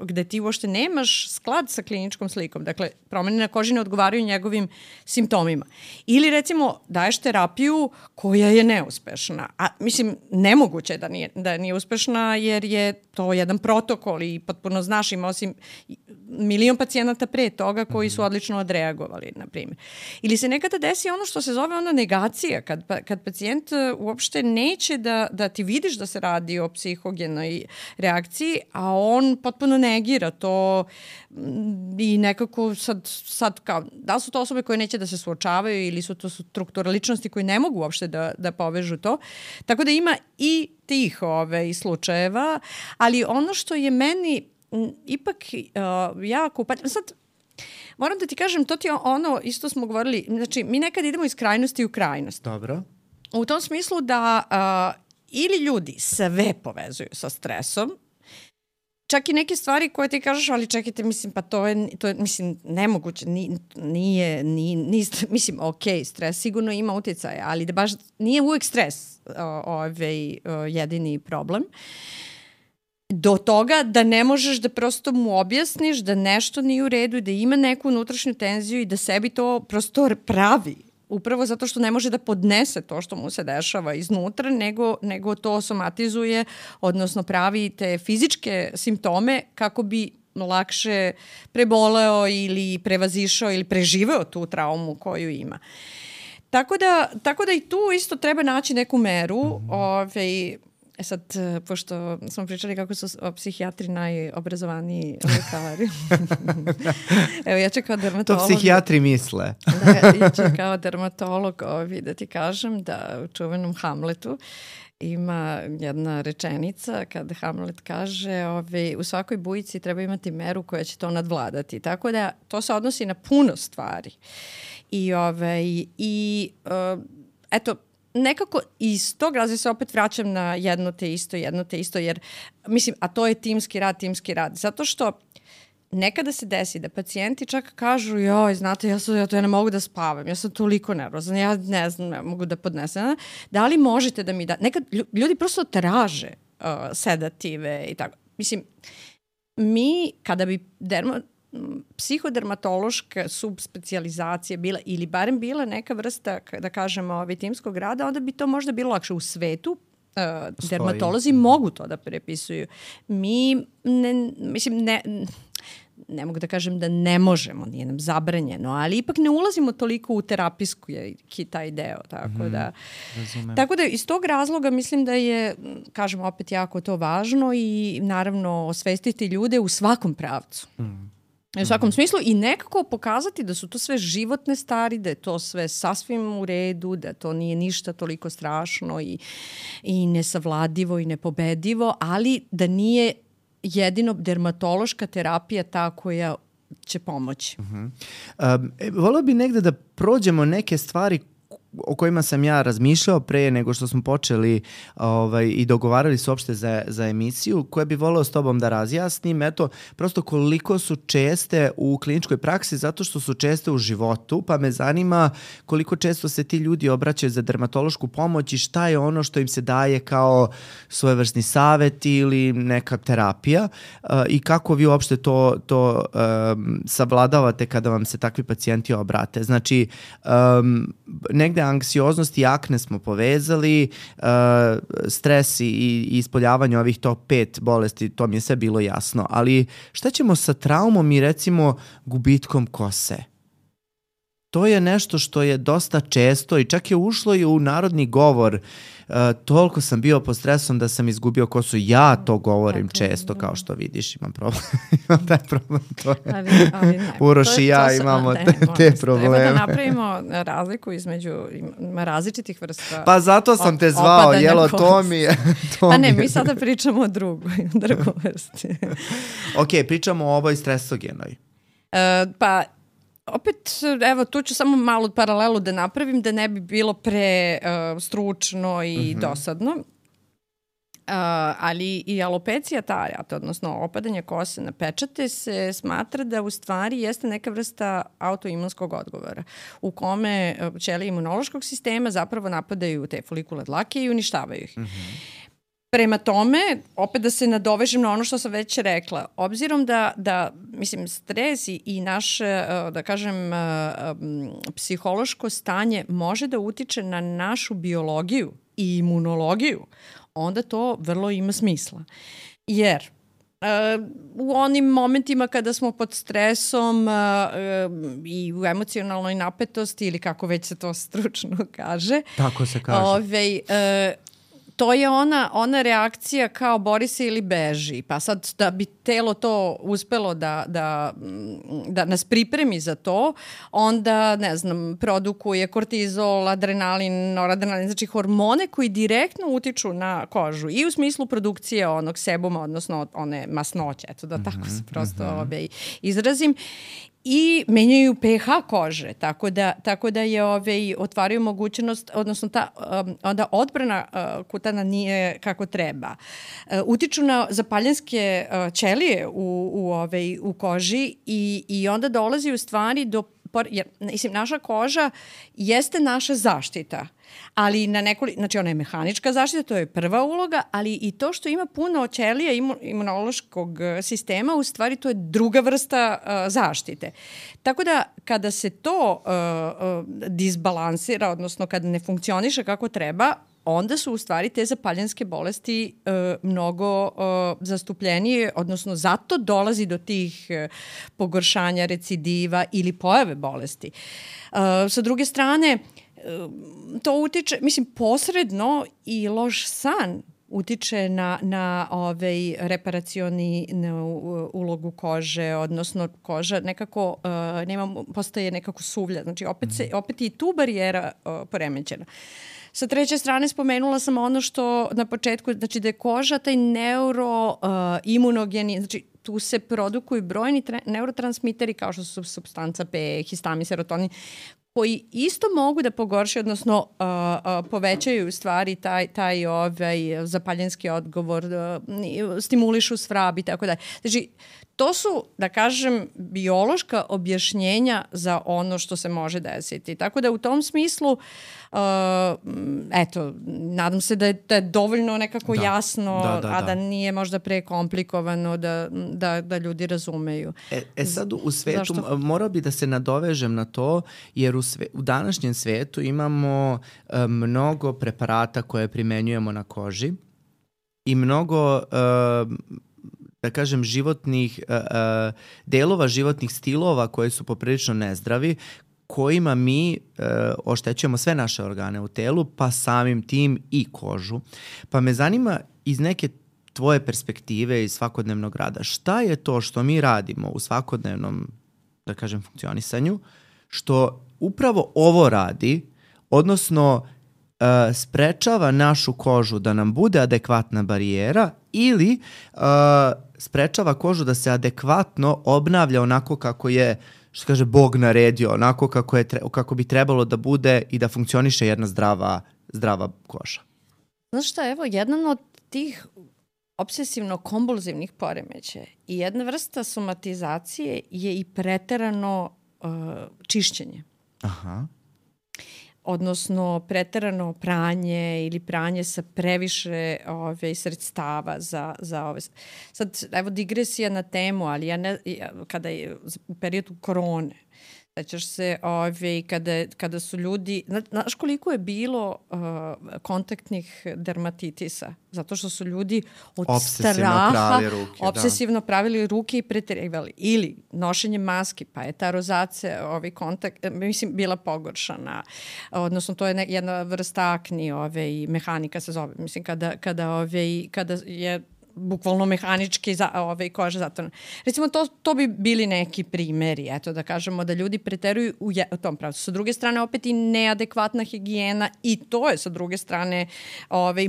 gde ti uopšte nemaš sklad sa kliničkom slikom. Dakle, promene na koži ne odgovaraju njegovim simptomima. Ili recimo daješ terapiju koja je neuspešna. A mislim, nemoguće je da nije uspešna jer je to jedan protokol i potpuno znaš, imao si milion pacijenata pre toga koji su odlično odreagovali, na primjer. Ili se nekada desi ono što se zove onda negacija, kad pacijent uopšte neće da ti vidiš da se radi o psihogenoj reakciji, a on potpuno negira to i nekako sad kao, da li su to osobe koje neće da se suočavaju ili su to struktura ličnosti koji ne mogu uopšte da povežu to. Tako da ima i tih slučajeva, ali ono što je meni ipak jako upatno. Sad, moram da ti kažem, to ti je ono, isto smo govorili, znači mi nekad idemo iz krajnosti u krajnost. Dobro. U tom smislu da ili ljudi sve povezuju sa stresom, čak i neke stvari koje ti kažeš, ali čekajte, mislim, pa to je mislim, nemoguće, nije, mislim, ok, stres sigurno ima utjecaja, ali da baš nije uvijek stres jedini problem. Do toga da ne možeš da prosto mu objasniš da nešto nije u redu i da ima neku unutrašnju tenziju i da sebi to prosto pravi. Upravo zato što ne može da podnese to što mu se dešava iznutra, nego to somatizuje, odnosno pravi te fizičke simptome kako bi lakše preboleo ili prevazišao ili preživeo tu traumu koju ima. Tako da i tu isto treba naći neku meru. Sad, pošto smo pričali kako su psihijatri najobrazovaniji lekari. Evo, ja ću kao dermatolog... To psihijatri misle. Ja ću kao dermatolog da ti kažem da u čuvenom Hamletu ima jedna rečenica kad Hamlet kaže u svakoj bujici treba imati meru koja će to nadvladati. Tako da to se odnosi na puno stvari. Eto, nekako iz tog razloga se opet vraćam na jedno te isto, jer mislim, a to je timski rad. Zato što nekada se desi da pacijenti čak kažu, joj, znate, ja ne mogu da spavam, ja sam toliko nervozan, ja ne znam, ne mogu da podnesem. Da li možete da mi nekad ljudi prosto traže sedative i tako. Mislim, mi kada bi psihodermatološka subspecijalizacija bila, ili barem bila neka vrsta, da kažemo, timskog rada, onda bi to možda bilo lakše u svetu. Dermatolozi mogu to da prepisuju. Mi, ne mogu da kažem da ne možemo, nije nam zabranjeno, ali ipak ne ulazimo toliko u terapijsku taj deo. Tako da iz tog razloga mislim da je, kažemo opet, jako to važno i naravno osvestiti ljude u svakom pravcu. U svakom smislu i nekako pokazati da su to sve životne stvari, da je to sve sasvim u redu, da to nije ništa toliko strašno i nesavladivo i nepobedivo, ali da nije jedino dermatološka terapija ta koja će pomoći. Volio bi negde da prođemo neke stvari o kojima sam ja razmišljao pre nego što smo počeli i dogovarali se uopšte za emisiju, koje bi voleo s tobom da razjasnim. Eto, prosto koliko su česte u kliničkoj praksi, zato što su česte u životu, pa me zanima koliko često se ti ljudi obraćaju za dermatološku pomoć i šta je ono što im se daje kao svojevrsni savet ili neka terapija i kako vi uopšte to savladavate kada vam se takvi pacijenti obrate. Znači, negde anksioznost i akne smo povezali, stres i ispoljavanje ovih top 5 bolesti, to mi je sve bilo jasno. Ali šta ćemo sa traumom i recimo gubitkom kose? To je nešto što je dosta često i čak je ušlo i u narodni govor. Toliko sam bio pod stresom da sam izgubio kosu. Ja to govorim često, kao što vidiš, imam problem. Imam taj problem. Uroš i ja imamo te probleme. Treba da napravimo razliku između različitih vrsta. Pa zato sam te zvao, jelo, to mi je. Pa ne, mi sada pričamo o drugoj vrsti. Ok, pričamo o ovoj stresogenoj. Pa opet, evo, tu ću samo malu paralelu da napravim, da ne bi bilo pre stručno i dosadno. Ali i alopecija areata, odnosno opadanje kose na pečate, se smatra da u stvari jeste neka vrsta autoimunskog odgovora u kome ćelije imunološkog sistema zapravo napadaju te folikule dlake i uništavaju ih. Prema tome, opet da se nadovežem na ono što sam već rekla, obzirom da mislim, stres i naše, da kažem, psihološko stanje može da utiče na našu biologiju i imunologiju, onda to vrlo ima smisla. Jer u onim momentima kada smo pod stresom i u emocionalnoj napetosti, ili kako već se to stručno kaže, tako se kaže, to je ona reakcija kao bori se ili beži. Pa sad da bi telo to uspelo da nas pripremi za to, onda, ne znam, produkuje kortizol, adrenalin, noradrenalin, znači hormone koji direktno utiču na kožu i u smislu produkcije onog sebuma, odnosno one masnoće, eto da tako se prosto izrazim. I menjaju pH kože, tako da je otvaraju mogućnost, odnosno ta onda odbrana kutana nije kako treba. Utiču na zapaljenske ćelije u koži i onda dolazi u stvari do, jer mislim, naša koža jeste naša zaštita, ali znači ona je mehanička zaštita, to je prva uloga, ali i to što ima puno ćelija imunološkog sistema, u stvari to je druga vrsta zaštite. Tako da kada se to disbalansira, odnosno kada ne funkcioniše kako treba, onda su u stvari te zapaljenske bolesti mnogo zastupljenije, odnosno zato dolazi do tih pogoršanja, recidiva ili pojave bolesti. Sa druge strane, to utiče, mislim, posredno i loš san utiče na reparacioni ulogu kože, odnosno koža nekako postaje nekako suvlja. Znači opet i tu barijera poremećena. Sa treće strane spomenula sam ono što na početku, znači da je koža taj neuroimunogeni, znači tu se produkuju brojni neurotransmiteri kao što su supstanca P, histamin, serotonin, koji isto mogu da pogoršaju, odnosno povećaju u stvari taj zapaljenski odgovor, stimulišu svrab i tako dalje. Znači, to su, da kažem, biološka objašnjenja za ono što se može desiti. Tako da u tom smislu, eto, nadam se da je dovoljno nekako jasno, a da nije možda prekomplikovano da ljudi razumeju. Sad u svetu, morao bi da se nadovežem na to, jer u današnjem svetu imamo mnogo preparata koje primenjujemo na koži i mnogo da kažem, životnih delova, životnih stilova koji su poprilično nezdravi, kojima mi oštećujemo sve naše organe u telu, pa samim tim i kožu. Pa me zanima iz neke tvoje perspektive iz svakodnevnog rada, šta je to što mi radimo u svakodnevnom, da kažem, funkcionisanju, što upravo ovo radi, odnosno sprečava našu kožu da nam bude adekvatna barijera ili sprečava kožu da se adekvatno obnavlja onako kako je, što kaže, Bog naredio, onako kako bi trebalo da bude i da funkcioniše jedna zdrava koža. Znaš šta, evo, jedan od tih obsesivno-kompulzivnih poremećaja i jedna vrsta somatizacije je i preterano čišćenje. Aha. Odnosno preterano pranje ili pranje sa previše sredstava za ove. Sad, evo, digresija na temu, ali kada je u periodu korone, sećaš se kada su ljudi, znaš koliko je bilo kontaktnih dermatitisa, zato što su ljudi od straha obsesivno pravili ruke i preterivali. Ili nošenje maski, pa je ta rozacija, mislim, bila pogoršana. Odnosno, to je jedna vrsta akni, mehanika se zove. Mislim, kada je bukvalno mehanički koža zatvorena. Recimo, to bi bili neki primeri, eto, da kažemo da ljudi preteruju u tom pravcu. Sa druge strane, opet i neadekvatna higijena i to je sa druge strane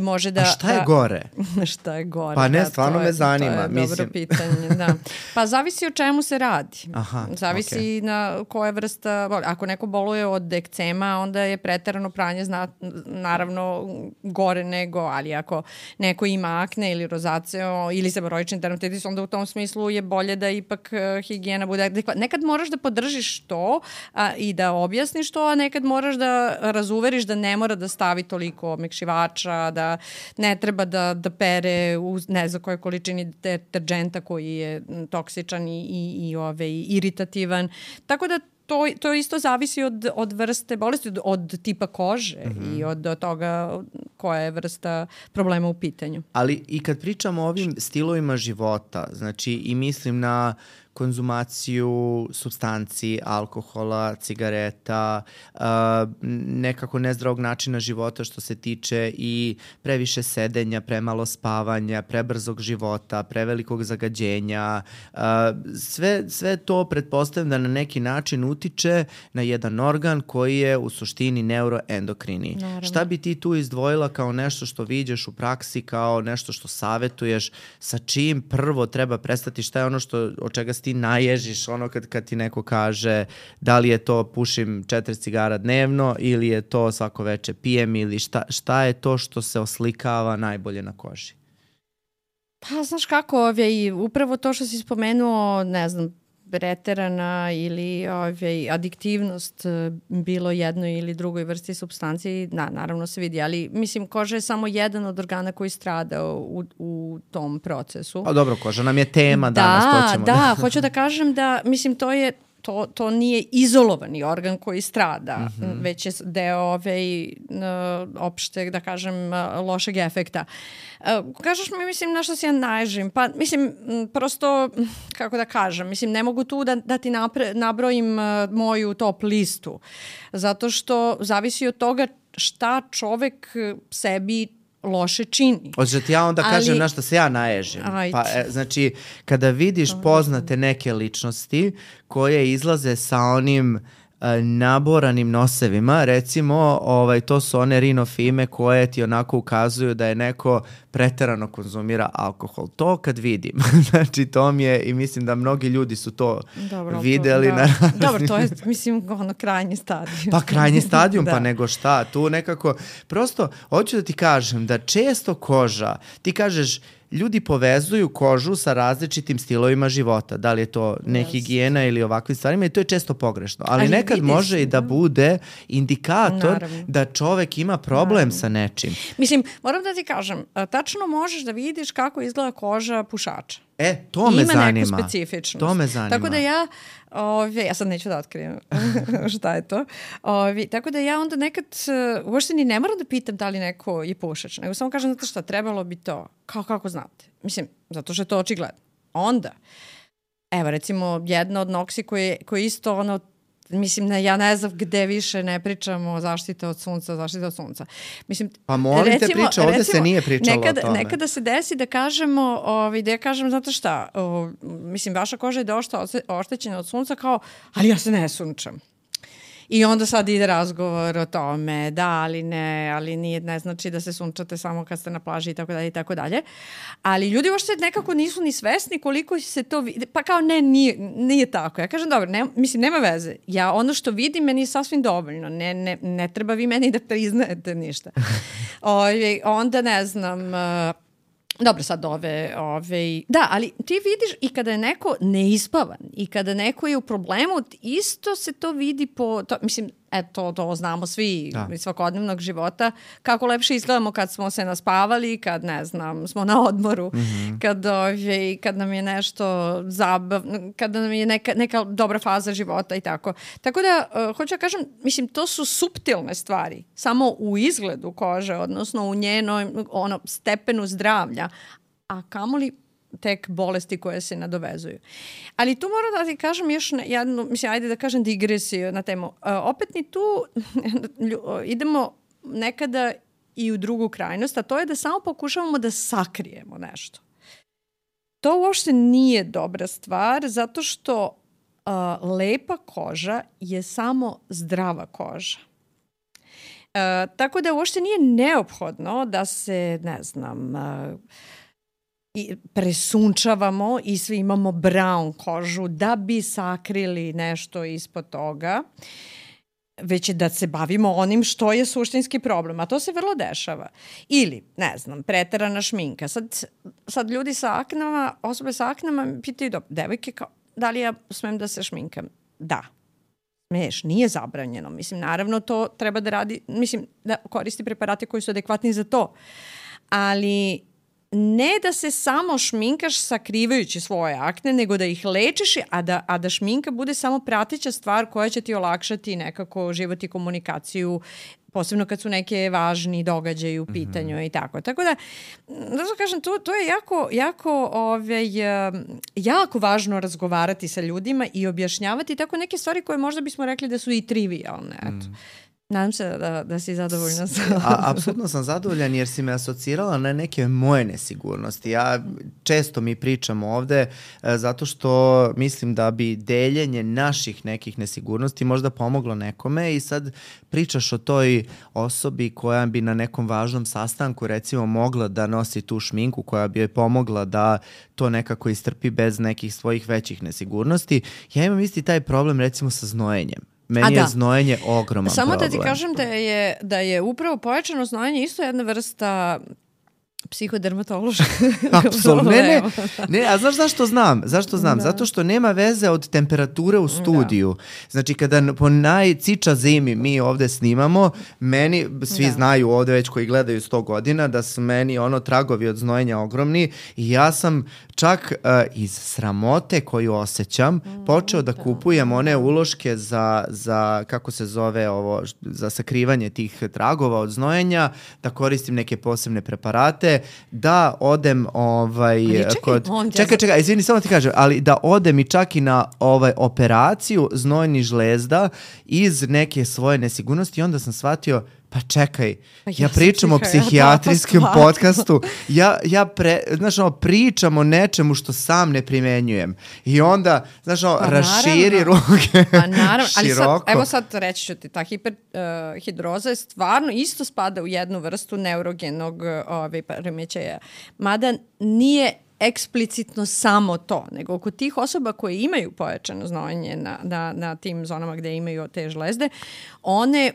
može da... A šta je gore? Šta je gore? Pa ne, stvarno me zanima. To je dobro pitanje, da. Pa zavisi o čemu se radi. Zavisi na koja vrsta... Ako neko boluje od ekcema, onda je preterano pranje naravno gore nego, ali ako neko ima akne ili rozacije ili seboroični dermatitis, onda u tom smislu je bolje da ipak higijena bude adekvatna. Nekad moraš da podržiš to i da objasniš to, a nekad moraš da razuveriš da ne mora da stavi toliko omekšivača, da ne treba da pere u ne znam kojoj količini deterđenta koji je toksičan i iritativan. Tako da to isto zavisi od vrste bolesti, od tipa kože i od toga koja je vrsta problema u pitanju. Ali i kad pričamo o ovim stilovima života, znači i mislim na konzumaciju supstanci, alkohola, cigareta, nekako nezdravog načina života što se tiče i previše sedenja, premalo spavanja, prebrzog života, prevelikog zagađenja. Sve to pretpostavljam da na neki način utiče na jedan organ koji je u suštini neuroendokrini. Naravno. Šta bi ti tu izdvojila kao nešto što viđeš u praksi, kao nešto što savetuješ, sa čim prvo treba prestati, šta je ono od čega ti naježiš, ono kad ti neko kaže da li je to pušim 4 cigara dnevno ili je to svako veče pijem ili šta je to što se oslikava najbolje na koži? Pa znaš kako, upravo to što si spomenuo, ne znam, preterana ili adiktivnost bilo jednoj ili drugoj vrsti supstanci, naravno se vidi, ali mislim koža je samo jedan od organa koji strada u tom procesu. A dobro, koža nam je tema danas. Da, hoću da kažem da, mislim, to je to nije izolovani organ koji strada, već je deo opšte, da kažem, lošeg efekta. Kažeš mi, mislim, na što se ja naježim? Pa, mislim, prosto, kako da kažem, mislim, ne mogu tu da ti nabrojim moju top listu, zato što zavisi od toga šta čovek sebi loše čini. Hoćeš da ti ja onda kažem na što se ja naježim. Pa, znači, kada vidiš poznate neke ličnosti koje izlaze sa onim naboranim nosevima, recimo, to su one rinofime koje ti onako ukazuju da je neko preterano konzumira alkohol. To kad vidim, znači to mi je, i mislim da mnogi ljudi su to videli. Dobro, to je, mislim, krajnji stadijum. Pa krajnji stadijum, pa nego šta, tu nekako, prosto, hoću da ti kažem da često koža, ti kažeš, ljudi povezuju kožu sa različitim stilovima života, da li je to nehigijena ili ovakvim stvarima, i to je često pogrešno. Ali nekad može i da bude indikator da čovek ima problem sa nečim. Mislim, moram da ti kažem, tačno možeš da vidiš kako izgleda koža pušača. To me zanima. Ima neku specifičnost. To me zanima. Tako da ja sad neću da otkrijem šta je to. Tako da ja onda nekad uopšte ni ne moram da pitam da li neko je pušač, nego samo kažem, znate šta, trebalo bi to. Kako znate? Mislim, zato što je to očigledno. Onda, evo recimo jedna od noksi koji isto mislim, ja ne znam gde više ne pričamo zaštita od sunca. Mislim, pa molim te priča, ovde se nije pričalo o tome. Nekada se desi da kažemo, da ja kažem, znate šta, mislim, vaša koža je dosta oštećena od sunca, kao, ali ja se ne sunčam. I onda sad ide razgovor o tome, da, ali ne, ali nije, ne znači da se sunčate samo kad ste na plaži i tako dalje. Ali ljudi uopšte nekako nisu ni svesni koliko se to vidi. Pa kao nije tako. Ja kažem, dobro, mislim, nema veze. Ja ono što vidim meni je sasvim dovoljno. Ne treba vi meni da priznajete ništa. Onda ne znam... Dobro, sad da, ali ti vidiš i kada je neko neispavan i kada neko je u problemu, isto se to vidi mislim, to znamo svi iz svakodnevnog života, kako lepše izgledamo kad smo se naspavali, kad, ne znam, smo na odmoru, kad nam je nešto zabavno, kad nam je neka dobra faza života i tako. Tako da, hoću da kažem, mislim, to su suptilne stvari, samo u izgledu kože, odnosno u njenom stepenu zdravlja, a kamoli tek bolesti koje se nadovezuju. Ali tu moram da ti kažem još jednu, mislim, ajde da kažem digresiju na temu. Opet ni tu idemo nekada i u drugu krajnost, a to je da samo pokušavamo da sakrijemo nešto. To uopšte nije dobra stvar, zato što lepa koža je samo zdrava koža. Tako da uopšte nije neophodno da se, ne znam, presunčavamo i svi imamo brown kožu da bi sakrili nešto ispod toga, već je da se bavimo onim što je suštinski problem, a to se vrlo dešava. Ili, ne znam, preterana šminka. Sad ljudi sa aknama, osobe sa aknama pitaju, devojke, da li ja smem da se šminkam? Da. Smiješ, nije zabranjeno. Mislim, naravno to treba da radi, mislim, da koristi preparate koji su adekvatni za to. Ali ne da se samo šminkaš sakrivajući svoje akne, nego da ih lečiš, a da šminka bude samo prateća stvar koja će ti olakšati nekako život i komunikaciju, posebno kad su neke važni događaji u pitanju i tako. Tako da kažem, to je jako važno razgovarati sa ljudima i objašnjavati tako neke stvari koje možda bismo rekli da su i trivialne. Eto. Nadam se da si zadovoljna. Apsolutno sam zadovoljan jer si me asocirala na neke moje nesigurnosti. Ja često mi pričam ovde zato što mislim da bi deljenje naših nekih nesigurnosti možda pomoglo nekome i sad pričaš o toj osobi koja bi na nekom važnom sastanku recimo mogla da nosi tu šminku koja bi joj pomogla da to nekako istrpi bez nekih svojih većih nesigurnosti. Ja imam isti taj problem recimo sa znojenjem. Meni je znojenje ogroman samo problem. Da ti kažem da je upravo pojačano znojenje isto jedna vrsta psihodermatološka. Apsolutno. Ne, a znaš zašto znam? Zašto znam? Da. Zato što nema veze od temperature u studiju. Znači, kada po najciča zimi mi ovde snimamo, meni, svi znaju ovde već koji gledaju 100 godina, da su meni tragovi od znojenja ogromni i ja sam čak iz sramote koju osjećam, počeo da kupujem one uloške za kako se zove ovo, za sakrivanje tih tragova od znojenja, da koristim neke posebne preparate, da odem čekaj, izvini, samo ti kažem, ali da odem i čak i na operaciju znojnih žlezda iz neke svoje nesigurnosti i onda sam shvatio, pa čekaj, ja pričam o psihijatrijskom podcastu, pričam o nečemu što sam ne primenjujem i onda, raširi ruke široko. Ali sad reći ću ti, ta hiperhidroza je stvarno isto spada u jednu vrstu neurogenog poremećaja, mada nije eksplicitno samo to, nego kod tih osoba koje imaju pojačano znojenje na tim zonama gde imaju te žlezde, one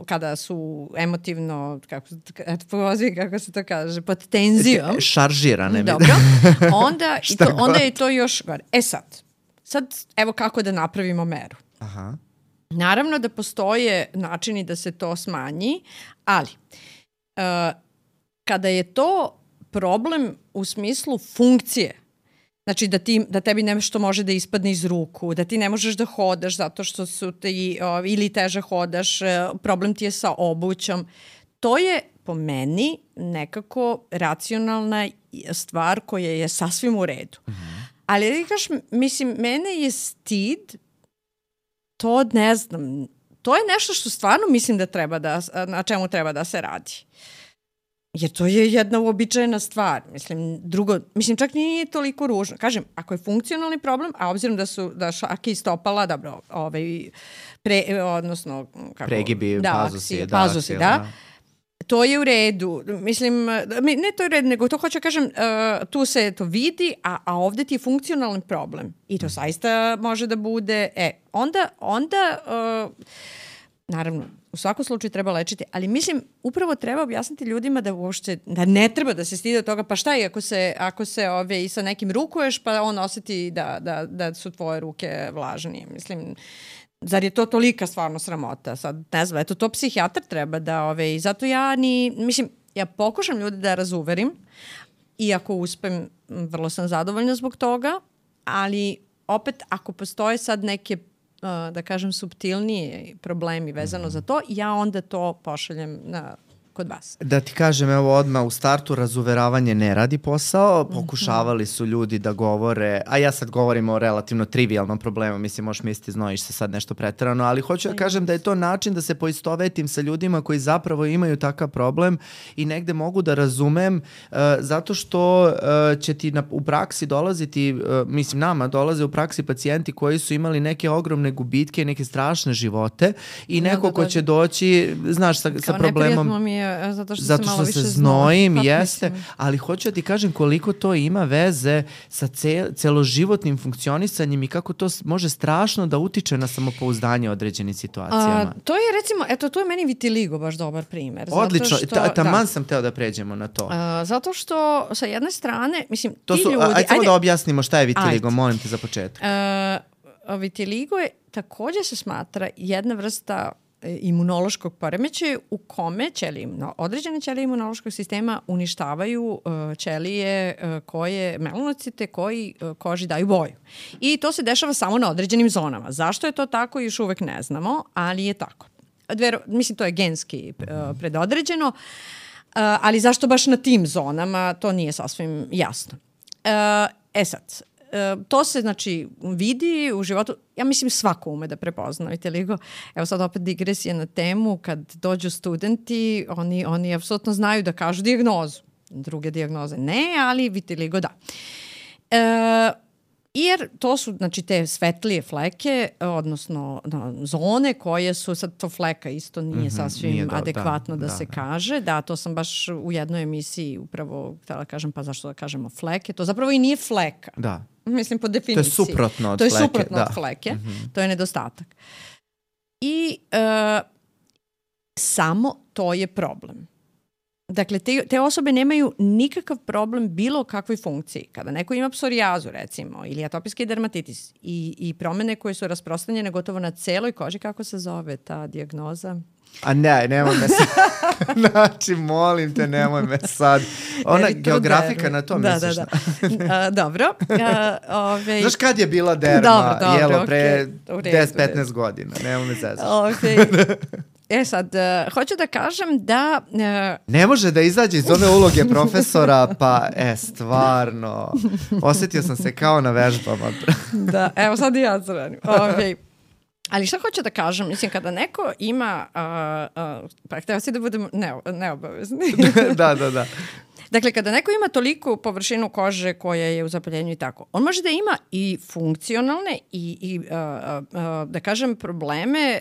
kada su emotivno, kako se to kaže, pod tenzijom. Šaržirane. Dobro. Onda je to još gore. Sad evo kako da napravimo meru. Aha. Naravno da postoje načini da se to smanji, ali kada je to problem u smislu funkcije, znači da tebi nešto može da ispadne iz ruku, da ti ne možeš da hodaš zato što su ti ili teže hodaš, problem ti je sa obućom. To je po meni nekako racionalna stvar koja je sasvim u redu. Ali mislim, mene je stid, to ne znam, to je nešto što stvarno mislim da na čemu treba da se radi. Jer to je jedna uobičajena stvar. Mislim, čak nije toliko ružno. Kažem, ako je funkcionalni problem, a obzirom da šake i stopala, dobro, odnosno pregibi, pazusi, to je u redu. Mislim, ne to je u redu, nego to hoću kažem, tu se to vidi, a ovde ti je funkcionalni problem. I to zaista može da bude, onda naravno, u svakom slučaju treba lečiti, ali mislim, upravo treba objasniti ljudima da ne treba da se stide od toga, pa šta je ako se i sa nekim rukuješ, pa on osjeti da su tvoje ruke vlažnije. Mislim, zar je to tolika stvarno sramota? Sad, ne znam, to psihijatar treba i zato ja pokušam ljude da razuverim i ako uspem, vrlo sam zadovoljna zbog toga, ali opet, ako postoje sad neke da kažem, suptilniji problemi vezano za to, ja onda to pošaljem kod vas. Da ti kažem, evo odmah u startu, razuveravanje ne radi posao, pokušavali su ljudi da govore, a ja sad govorim o relativno trivialnom problemu, mislim, možeš misliti, znojiš se sad nešto preterano, ali hoću da kažem da je to način da se poistovetim sa ljudima koji zapravo imaju takav problem i negde mogu da razumem, zato što će ti u praksi dolaziti, mislim, nama dolaze u praksi pacijenti koji su imali neke ogromne gubitke, neke strašne živote i neko ko će doći, znaš, sa problemom. Zato što se znojim, jeste, ali hoću da ti kažem koliko to ima veze sa celoživotnim funkcionisanjem i kako to može strašno da utiče na samopouzdanje u određenim situacijama. To je recimo, to je meni vitiligo baš dobar primer. Odlično, taman sam teo da pređemo na to. Zato što sa jedne strane, mislim, ti ljudi... Ajde samo da objasnimo šta je vitiligo, molim te za početak. Vitiligo je također se smatra jedna vrsta imunološkog poremećaja u kome određene ćelije imunološkog sistema uništavaju ćelije melanocite koji koži daju boju. I to se dešava samo na određenim zonama. Zašto je to tako, još uvek ne znamo, ali je tako. Mislim, to je genski predodređeno, ali zašto baš na tim zonama, to nije sasvim jasno. Sad, to se, znači, vidi u životu, ja mislim svako ume da prepozna vitiligo. Evo sad opet digresija na temu, kad dođu studenti, oni apsolutno znaju da kažu dijagnozu. Druge dijagnoze ne, ali vitiligo da. Jer to su, znači, te svetlije fleke, odnosno zone koje su, sad to fleka isto nije sasvim adekvatno da se kaže. Da, to sam baš u jednoj emisiji upravo htjela kažem, pa zašto da kažemo fleke? To zapravo i nije fleka. Da. Mislim, po definiciji. To je suprotno od fleke. To je suprotno od fleke. To je nedostatak. I samo to je problem. Dakle, te osobe nemaju nikakav problem bilo kakvoj funkciji. Kada neko ima psorijazu, recimo, ili atopijski dermatitis i promene koje su rasprostranjene gotovo na celoj koži, kako se zove ta dijagnoza? A ne, nemoj me sad. Znači, molim te, nemoj me sad. Ona geografika na to misliš. Dobro. Znaš kad je bila derma? Jelo pre 10-15 godina. Nemoj me zezaš. Sad, hoću da kažem da... Ne može da izađe iz one uloge profesora, pa stvarno. Osjetio sam se kao na vežbama. Da, evo sad i ja zranim. Ali šta hoću da kažem? Mislim, kada neko ima... pa htio si da budem neobavezni. Da. Dakle, kada neko ima toliku površinu kože koja je u zapaljenju i tako, on može da ima i funkcionalne i da kažem, probleme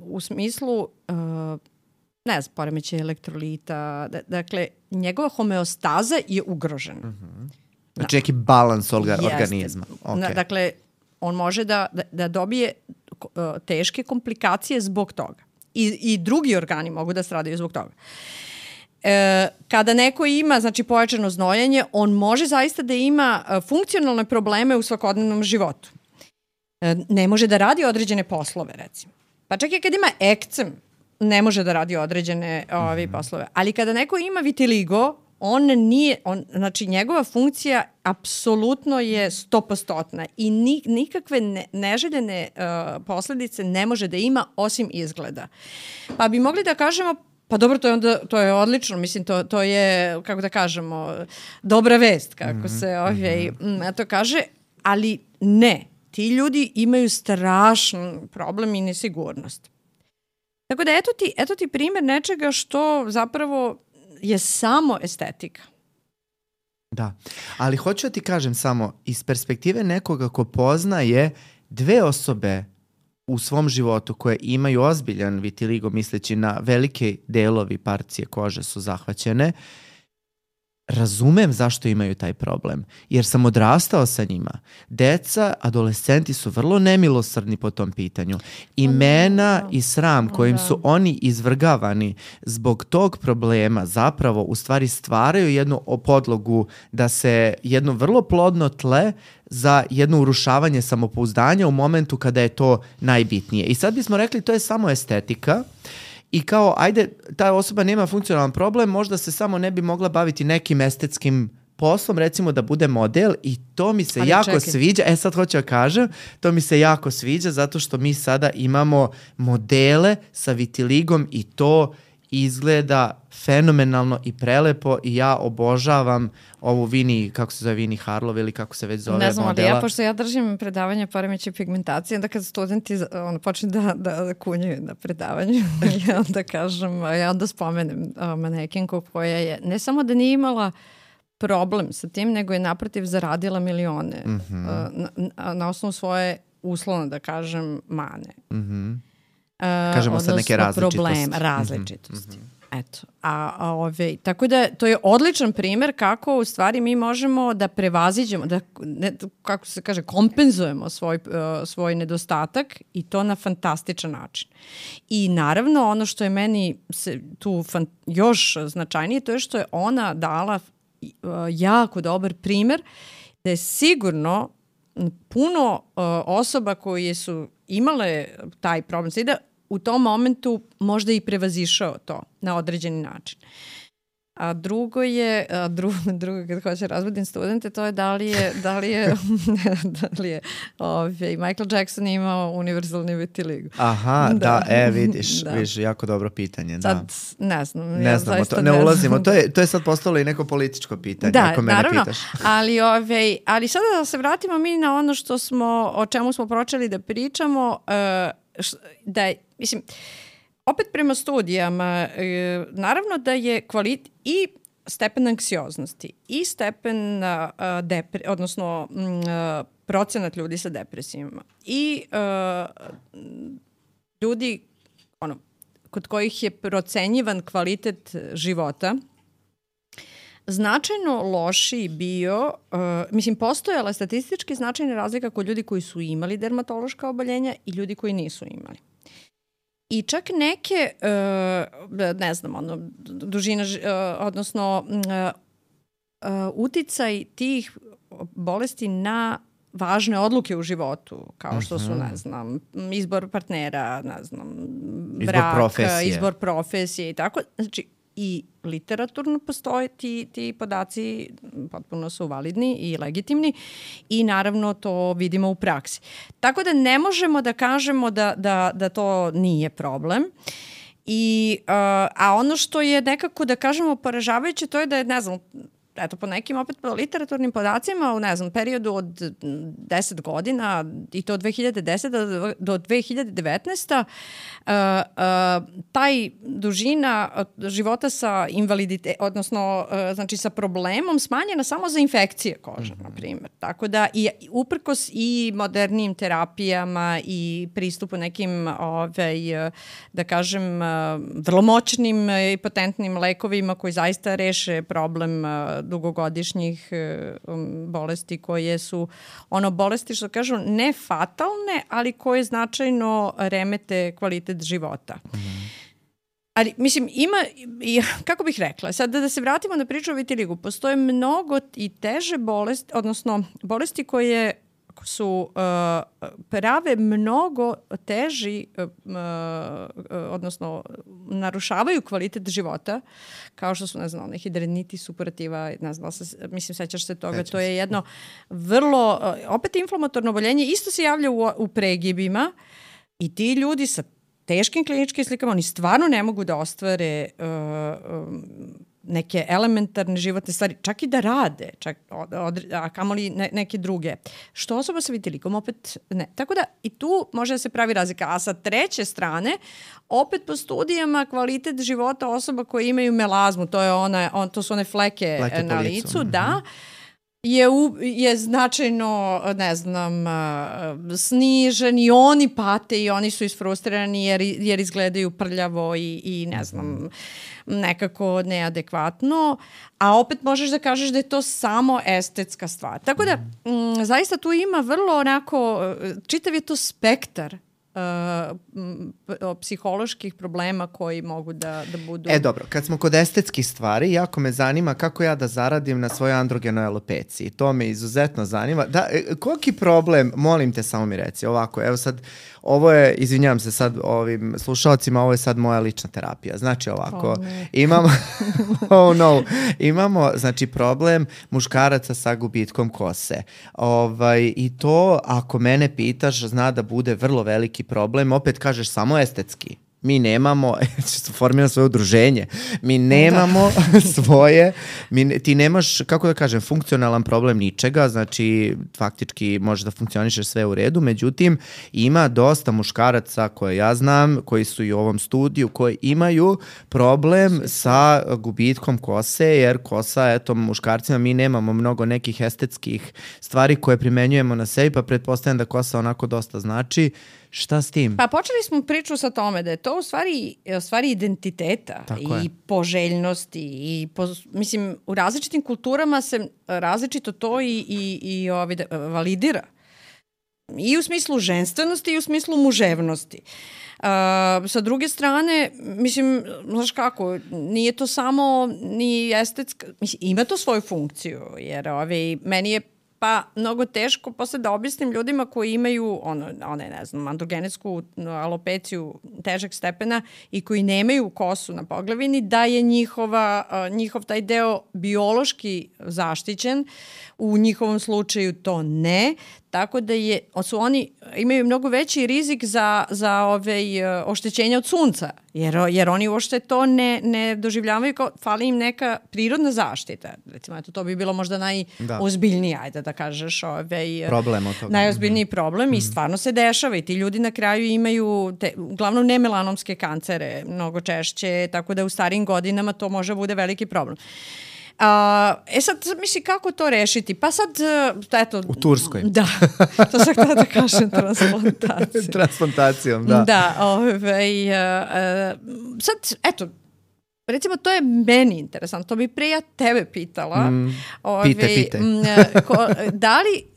u smislu ne znam, poremećaj elektrolita. Dakle, njegova homeostaza je ugrožena. Znači, neki balans organizma. Okay. Dakle, on može da dobije teške komplikacije zbog toga. I drugi organi mogu da stradaju zbog toga. Kada neko ima, znači, pojačano znojenje, on može zaista da ima funkcionalne probleme u svakodnevnom životu. Ne može da radi određene poslove, recimo. Pa čak i kad ima ekcem, ne može da radi određene poslove. Ali kada neko ima vitiligo, znači njegova funkcija apsolutno je 100% i nikakve neželjene posledice ne može da ima osim izgleda. Pa bi mogli da kažemo, pa dobro, to je odlično, mislim, to je, kako da kažemo, dobra vest, kako se to kaže, ali ne, ti ljudi imaju strašan problem i nesigurnost. Tako da eto ti primjer nečega što zapravo je samo estetika. Da, ali hoću da ti kažem samo, iz perspektive nekoga ko poznaje dve osobe u svom životu koje imaju ozbiljan vitiligo, misleći na velike delovi parcije kože su zahvaćene, razumem zašto imaju taj problem, jer sam odrastao sa njima. Deca, adolescenti su vrlo nemilosrdni po tom pitanju. Imena i sram kojim su oni izvrgavani zbog tog problema zapravo u stvari stvaraju jednu podlogu da se jedno vrlo plodno tle za jedno urušavanje samopouzdanja u momentu kada je to najbitnije. I sad bismo rekli to je samo estetika. I kao, ajde, ta osoba nema funkcionalan problem, možda se samo ne bi mogla baviti nekim estetskim poslom, recimo da bude model i to mi se jako sviđa. Sad hoću da kažem, to mi se jako sviđa zato što mi sada imamo modele sa vitiligom i to izgleda fenomenalno i prelepo i ja obožavam ovu Vini Harlov ili kako se već zove modela. Ne znam, ali pošto ja držim predavanje poremećaja pigmentacije, onda kad studenti počne da kunjaju na predavanju, ja onda spomenem manekinku koja je ne samo da nije imala problem sa tim, nego je naprotiv zaradila milione na osnovu svoje, uslovno da kažem, mane. Kažemo sad neke različitosti. Eto. Tako da to je odličan primjer kako u stvari mi možemo da prevaziđemo, kako se kaže, kompenzujemo svoj nedostatak i to na fantastičan način. I naravno ono što je meni tu još značajnije, to je što je ona dala jako dobar primjer da je sigurno puno osoba koje su imale taj problem da u tom momentu možda i prevazišao to na određeni način. A drugo kad hoće razbudim studente, to je da li je Michael Jackson imao univerzalni vitiligo. Aha, vidiš, jako dobro pitanje. Sad, ne znam. Ne ulazimo. To je sad postalo i neko političko pitanje, ako mene naravno, pitaš. Ali sada da se vratimo mi na ono o čemu smo počeli da pričamo, mislim, opet prema studijama, naravno da je kvalitet i stepen anksioznosti i stepen odnosno procenat ljudi sa depresijama i ljudi kod kojih je procenjivan kvalitet života značajno lošiji bio, postojala statistički značajna razlika kod ljudi koji su imali dermatološka oboljenja i ljudi koji nisu imali. I čak neke, dužina, odnosno uticaj tih bolesti na važne odluke u životu, kao što su, izbor partnera, brak, izbor profesije i tako. Znači, i literaturno postoje ti podaci, potpuno su validni i legitimni i naravno to vidimo u praksi. Tako da ne možemo da kažemo da to nije problem. A ono što je nekako, da kažemo, poražavajuće, to je da je, ne znam, eto, po nekim opet literaturnim podacima, u, ne znam, periodu od 10 godina i to od 2010. do 2019. Taj dužina života sa invaliditetom, odnosno znači sa problemom smanjena samo za infekcije kože, na primjer. Tako da i uprkos i modernijim terapijama i pristupu nekim, da kažem, vrlo moćnim i potentnim lekovima koji zaista reše problem dugogodišnjih bolesti koje su bolesti, što kažu, ne fatalne, ali koje značajno remete kvalitet života. Ali, mislim, ima, kako bih rekla, sad da se vratimo na priču o vitiligu, postoje mnogo i teže bolesti, odnosno bolesti koje su prave mnogo teži, odnosno narušavaju kvalitet života, kao što su, ne znam, hidradenitis suppurativa, ne znam, mislim, sećaš se toga, to je jedno vrlo, opet inflamatorno oboljenje, isto se javlja u pregibima i ti ljudi sa teškim kliničkim slikama, oni stvarno ne mogu da ostvare neke elementarne životne stvari, čak i da rade, a kamoli neke druge. Što osoba sa vitiligom opet ne. Tako da i tu može da se pravi razlika. A sa treće strane, opet po studijama kvalitet života osoba koje imaju melazmu, to su one fleke na licu, da, je značajno, ne znam, snižen i oni pate i oni su isfrustrirani jer izgledaju prljavo i ne znam, nekako neadekvatno, a opet možeš da kažeš da je to samo estetska stvar. Tako da, zaista tu ima vrlo onako, čitav je to spektar psiholoških problema koji mogu da budu... Dobro, kad smo kod estetskih stvari, jako me zanima kako ja da zaradim na svojoj androgenoj alopeciji. To me izuzetno zanima. Koliki problem, molim te, samo mi reci, ovako, evo sad, ovo je, izvinjavam se sad ovim slušalcima, ovo je sad moja lična terapija. Znači ovako, imamo znači problem muškaraca sa gubitkom kose. I to, ako mene pitaš, zna da bude vrlo veliki problem. Opet kažeš samo estetski. Mi nemamo, formira svoje udruženje, mi nemamo ti nemaš, kako da kažem, funkcionalan problem ničega, znači faktički može da funkcioniše sve u redu, međutim ima dosta muškaraca koje ja znam, koji su i u ovom studiju, koji imaju problem sa gubitkom kose, jer kosa, eto, muškarcima mi nemamo mnogo nekih estetskih stvari koje primenjujemo na sebi, pa pretpostavljam da kosa onako dosta znači. Šta s tim? Pa počeli smo priču sa tome da je to u stvari identiteta i poželjnosti i mislim, u različitim kulturama se različito to i validira. I u smislu ženstvenosti i u smislu muževnosti. Sa druge strane, mislim, znaš kako, nije to samo ni estetska, mislim, ima to svoju funkciju, jer meni je mnogo teško posle da objasnim ljudima koji imaju ne znam, androgenetsku alopeciju težeg stepena i koji nemaju kosu na poglavini, da je njihov taj deo biološki zaštićen, u njihovom slučaju to ne, tako da oni imaju mnogo veći rizik za oštećenja od sunca, jer oni uopšte to ne doživljavaju kao fali im neka prirodna zaštita. Recimo, to bi bilo možda najozbiljniji, ajde da kažeš, problem od toga. Najozbiljniji problem i stvarno se dešava i ti ljudi na kraju imaju uglavnom nemelanomske kancere mnogo češće, tako da u starijim godinama to može bude veliki problem. Sad, misli, kako to rešiti? Pa sad, eto... U Turskoj. Da, to sam htjela da kažem, transplantacijom, da. Da, sad, eto, recimo, to je meni interesantno. To bi pre ja tebe pitala. Pitaj.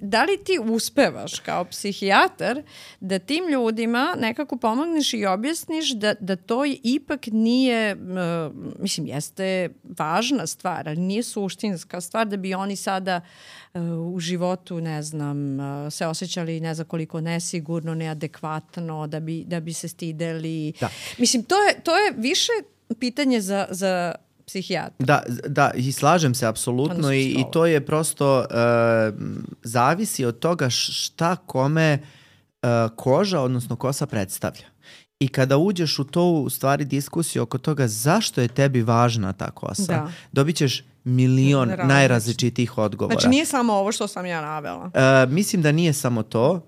Da li ti uspevaš kao psihijatar da tim ljudima nekako pomogneš i objasniš da to ipak nije, mislim, jeste važna stvar, ali nije suštinska stvar da bi oni sada u životu, ne znam, se osjećali ne znam koliko nesigurno, neadekvatno, da bi se stideli. Da. Mislim, to je više pitanje za psihijatra. Da, i slažem se apsolutno i to je prosto zavisi od toga šta kome koža, odnosno kosa predstavlja. I kada uđeš u to, u stvari, diskusiju oko toga zašto je tebi važna ta kosa, dobit ćeš milion najrazličitijih odgovora. Znači nije samo ovo što sam ja navela. Mislim da nije samo to.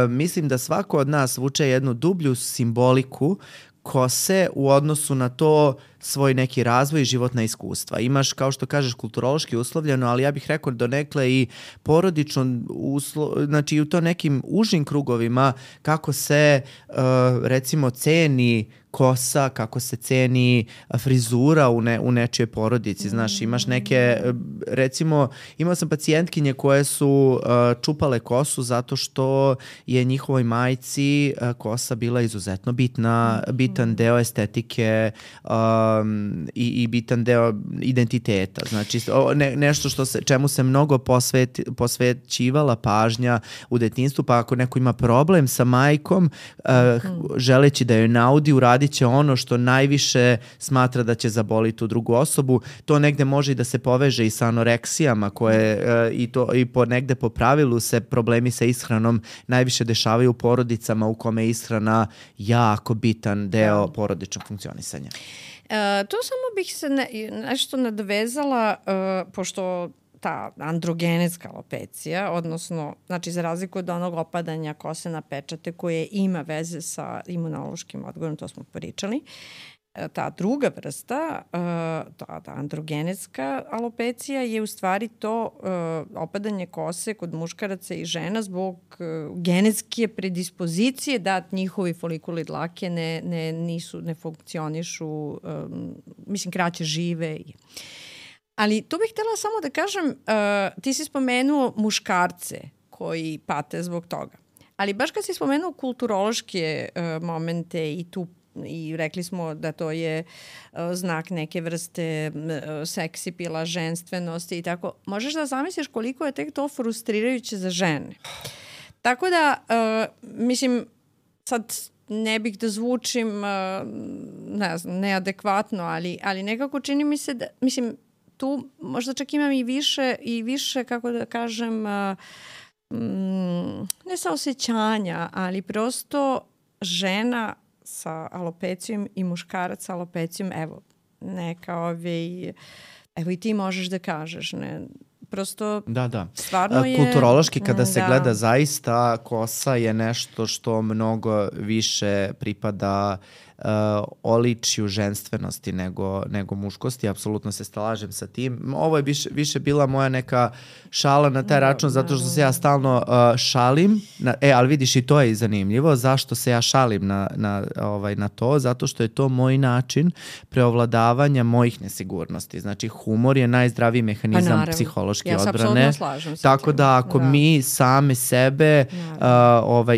Mislim da svako od nas vuče jednu dublju simboliku kose u odnosu na to svoj neki razvoj i životna iskustva. Imaš, kao što kažeš, kulturološki uslovljeno, ali ja bih rekao donekle i porodično, znači u to nekim užim krugovima kako se recimo ceni kosa, kako se ceni frizura u nečijoj porodici. Znaš, imaš neke, recimo, imao sam pacijentkinje koje su čupale kosu zato što je njihovoj majci kosa bila izuzetno bitan deo estetike i bitan deo identiteta. Znači, nešto čemu se mnogo posvećivala pažnja u detinjstvu, pa ako neko ima problem sa majkom, želeći da joj naudi, uradit će ono što najviše smatra da će zaboliti tu drugu osobu. To negde može i da se poveže i sa anoreksijama koje i negde po pravilu se problemi sa ishranom najviše dešavaju u porodicama u kome je ishrana jako bitan deo porodičnog funkcionisanja. Tu samo bih se nešto nadovezala, pošto ta androgenetska alopecija, odnosno, znači za razliku od onog opadanja kose na pečate koje ima veze sa imunološkim odgovorom, to smo pričali, ta druga vrsta, ta androgenetska alopecija je u stvari to opadanje kose kod muškaraca i žena zbog genetske predispozicije da njihovi folikuli dlake ne funkcionišu, mislim, kraće žive. Ali tu bih htjela samo da kažem, ti si spomenuo muškarce koji pate zbog toga. Ali baš kad si spomenuo kulturološke momente i rekli smo da to je znak neke vrste seksipila, ženstvenosti i tako, možeš da zamisliš koliko je tek to frustrirajuće za žene. Tako da, mislim, sad ne bih da zvučim ne znam, neadekvatno, ali nekako čini mi se da, mislim, tu možda čak imam i više, kako da kažem, ne saosećanja, ali prosto žena sa alopecijom i muškarac sa alopecijom, evo i ti možeš da kažeš, ne, prosto stvarno je... Kulturološki kada se gleda zaista, kosa je nešto što mnogo više pripada oličju ženstvenosti nego muškosti. Apsolutno se slažem sa tim. Ovo je više bila moja neka šala na taj račun, zato što se ja stalno šalim. Ali vidiš, i to je zanimljivo. Zašto se ja šalim na to? Zato što je to moj način preovladavanja mojih nesigurnosti. Znači, humor je najzdraviji mehanizam psihološke odbrane. Tako da ako mi same sebe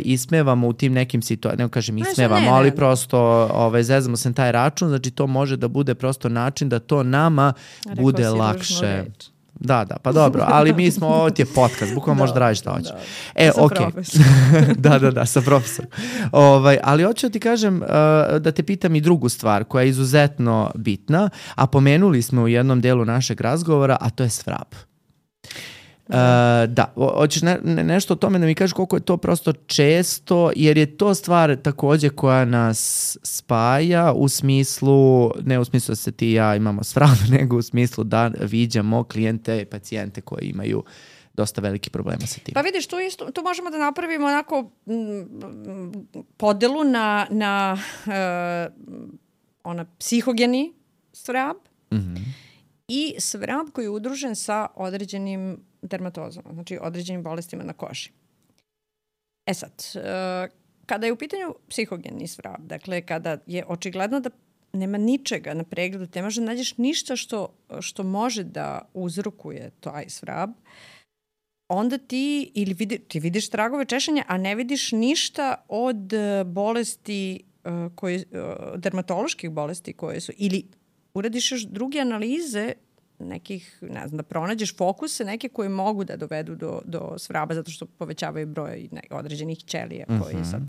ismevamo u tim nekim situacijama, ne kažem ismevamo, ali prosto zezamo se na taj račun, znači to može da bude prosto način da to nama bude lakše. Da, pa dobro, ali mi smo, ovo ti je podcast, bukvalno možeš da radiš šta hoćeš. Sa profesorom. Da, sa profesorom. Ali hoću da ti kažem, da te pitam i drugu stvar koja je izuzetno bitna, a pomenuli smo u jednom delu našeg razgovora, a to je svrab. Hoćeš nešto o tome da mi kažeš koliko je to prosto često, jer je to stvar također koja nas spaja u smislu, ne u smislu da se ti i ja imamo svrab, nego u smislu da viđamo klijente i pacijente koji imaju dosta veliki problema sa tim. Pa vidiš, tu možemo da napravimo onako podelu na psihogeni svrab i svrab koji je udružen sa određenim dermatozama, znači određenim bolestima na koži. Sad, kada je u pitanju psihogeni svrab, dakle kada je očigledno da nema ničega na pregledu, te može da nađeš ništa što može da uzrokuje taj svrab, onda ti ti vidiš tragove češanja, a ne vidiš ništa od bolesti, dermatoloških bolesti koje su, ili uradiš još druge analize nekih, ne znam, da pronađeš fokuse neke koje mogu da dovedu do svraba zato što povećavaju broj određenih ćelija koji sad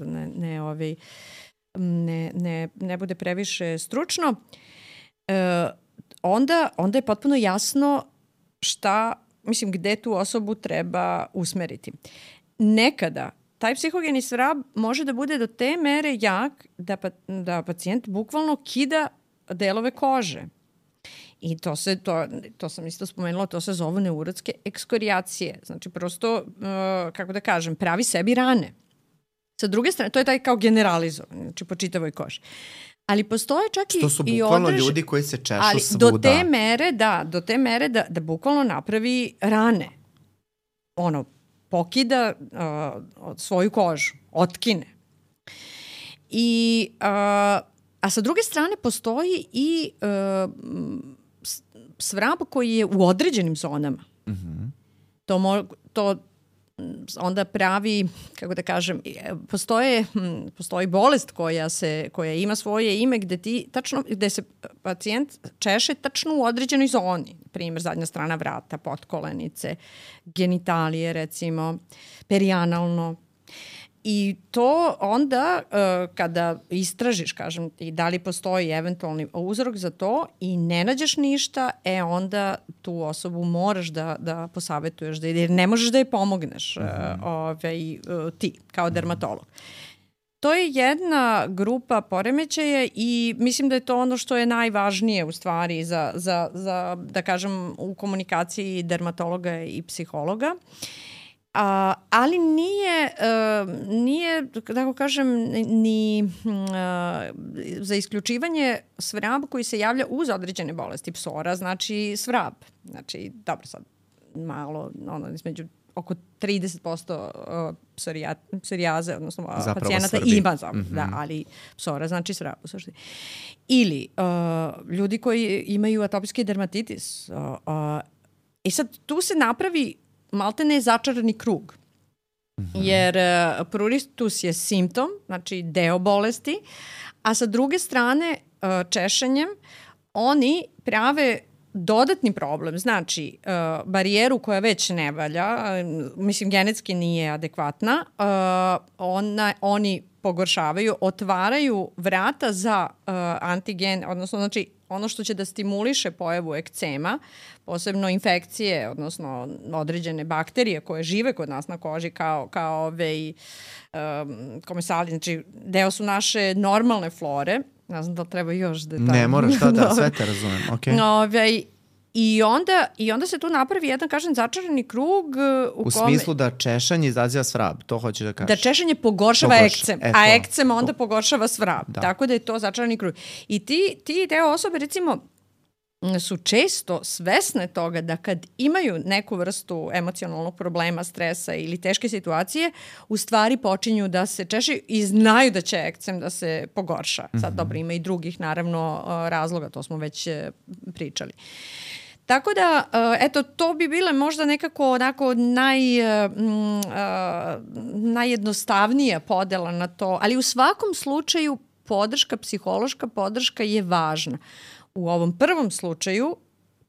ne bude previše stručno. Onda je potpuno jasno gde tu osobu treba usmeriti. Nekada taj psihogeni svrab može da bude do te mere jak da pacijent bukvalno kida delove kože. I to sam isto spomenula, to se zovu neurotske ekskorijacije. Znači prosto, kako da kažem, pravi sebi rane. Sa druge strane, to je taj kao generalizovan, znači po čitavoj koži. Ali postoje čak i to su bukvalno ljudi koji se češu svuda. Do te mere da bukvalno napravi rane. Pokida svoju kožu, otkine. A sa druge strane postoji i svrab koji je u određenim zonama. To onda pravi, kako da kažem, postoji bolest koja ima svoje ime gde se pacijent češe tačno u određenoj zoni. Primjer, zadnja strana vrata, potkolenice, genitalije recimo, perianalno. I to onda kada istražiš, kažem ti, da li postoji eventualni uzrok za to i ne nađeš ništa, onda tu osobu moraš da posavetuješ, jer ne možeš da je pomogneš ti kao dermatolog. To je jedna grupa poremećaja i mislim da je to ono što je najvažnije u stvari za da kažem, u komunikaciji dermatologa i psihologa. Ali nije, tako kažem, ni za isključivanje svraba koji se javlja uz određene bolesti. Psora znači svrab. Znači, dobro sad, malo, između oko 30% psorijaze, odnosno pacijenata ima, ali psora znači svrab u suštini. Ili ljudi koji imaju atopijski dermatitis. I sad tu se napravi maltene je začarani krug. Jer pruritus je simptom, znači deo bolesti, a sa druge strane češenjem oni prave dodatni problem. Znači, barijeru koja već ne valja, mislim genetski nije adekvatna, oni pogoršavaju, otvaraju vrata za antigen, odnosno znači ono što će da stimuliše pojavu ekcema, posebno infekcije, odnosno određene bakterije koje žive kod nas na koži kao komesali, znači deo su naše normalne flore. Ne znam da li treba još detalje. Ne moraš, sve te razumem. Okay. I onda se tu napravi jedan, kažem, začarani krug u kome... smislu da češanje izaziva svrab, to hoćeš da kažeš? Da češanje pogoršava ekcem, a ekcem onda pogoršava svrab. Da. Tako da je to začarani krug. I ti deo osobe, recimo, su često svesne toga da kad imaju neku vrstu emocionalnog problema, stresa ili teške situacije, u stvari počinju da se češu i znaju da će ekcem da se pogorša. Sad dobro, ima i drugih naravno razloga, to smo već pričali. Tako da, eto, to bi bile možda nekako onako najjednostavnija podela na to, ali u svakom slučaju psihološka podrška je važna. U ovom prvom slučaju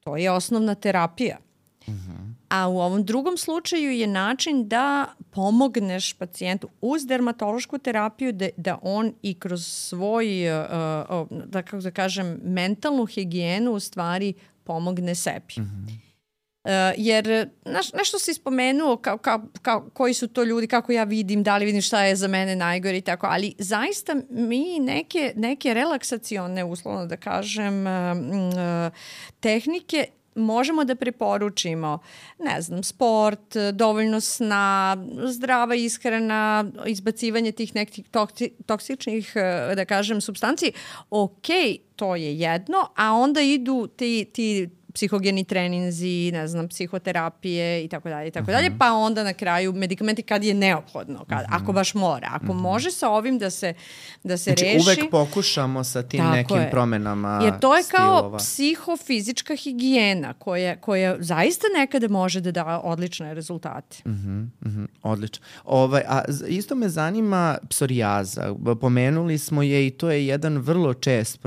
to je osnovna terapija. A u ovom drugom slučaju je način da pomogneš pacijentu uz dermatološku terapiju da on i kroz svoj, da kako da kažem, mentalnu higijenu u stvari pomogne sebi. Jer nešto si spomenuo koji su to ljudi, kako ja vidim, da li vidim šta je za mene najgore i tako, ali zaista mi neke relaksacione, uslovno da kažem, tehnike možemo da preporučimo, ne znam, sport, dovoljno sna, zdrava ishrana, izbacivanje tih nekih toksičnih, da kažem, supstanci. Ok, to je jedno, a onda idu ti psihogeni treninzi, ne znam, psihoterapije i tako dalje, pa onda na kraju medikamenti kad je neophodno, ako baš mora. Ako može sa ovim da se znači, reši... uvek pokušamo sa tim nekim promenama jer to je stilova. kao psihofizička higijena koja zaista nekada može da da odlične rezultate. Odlično. A isto me zanima psorijaza. Pomenuli smo je i to je jedan vrlo čest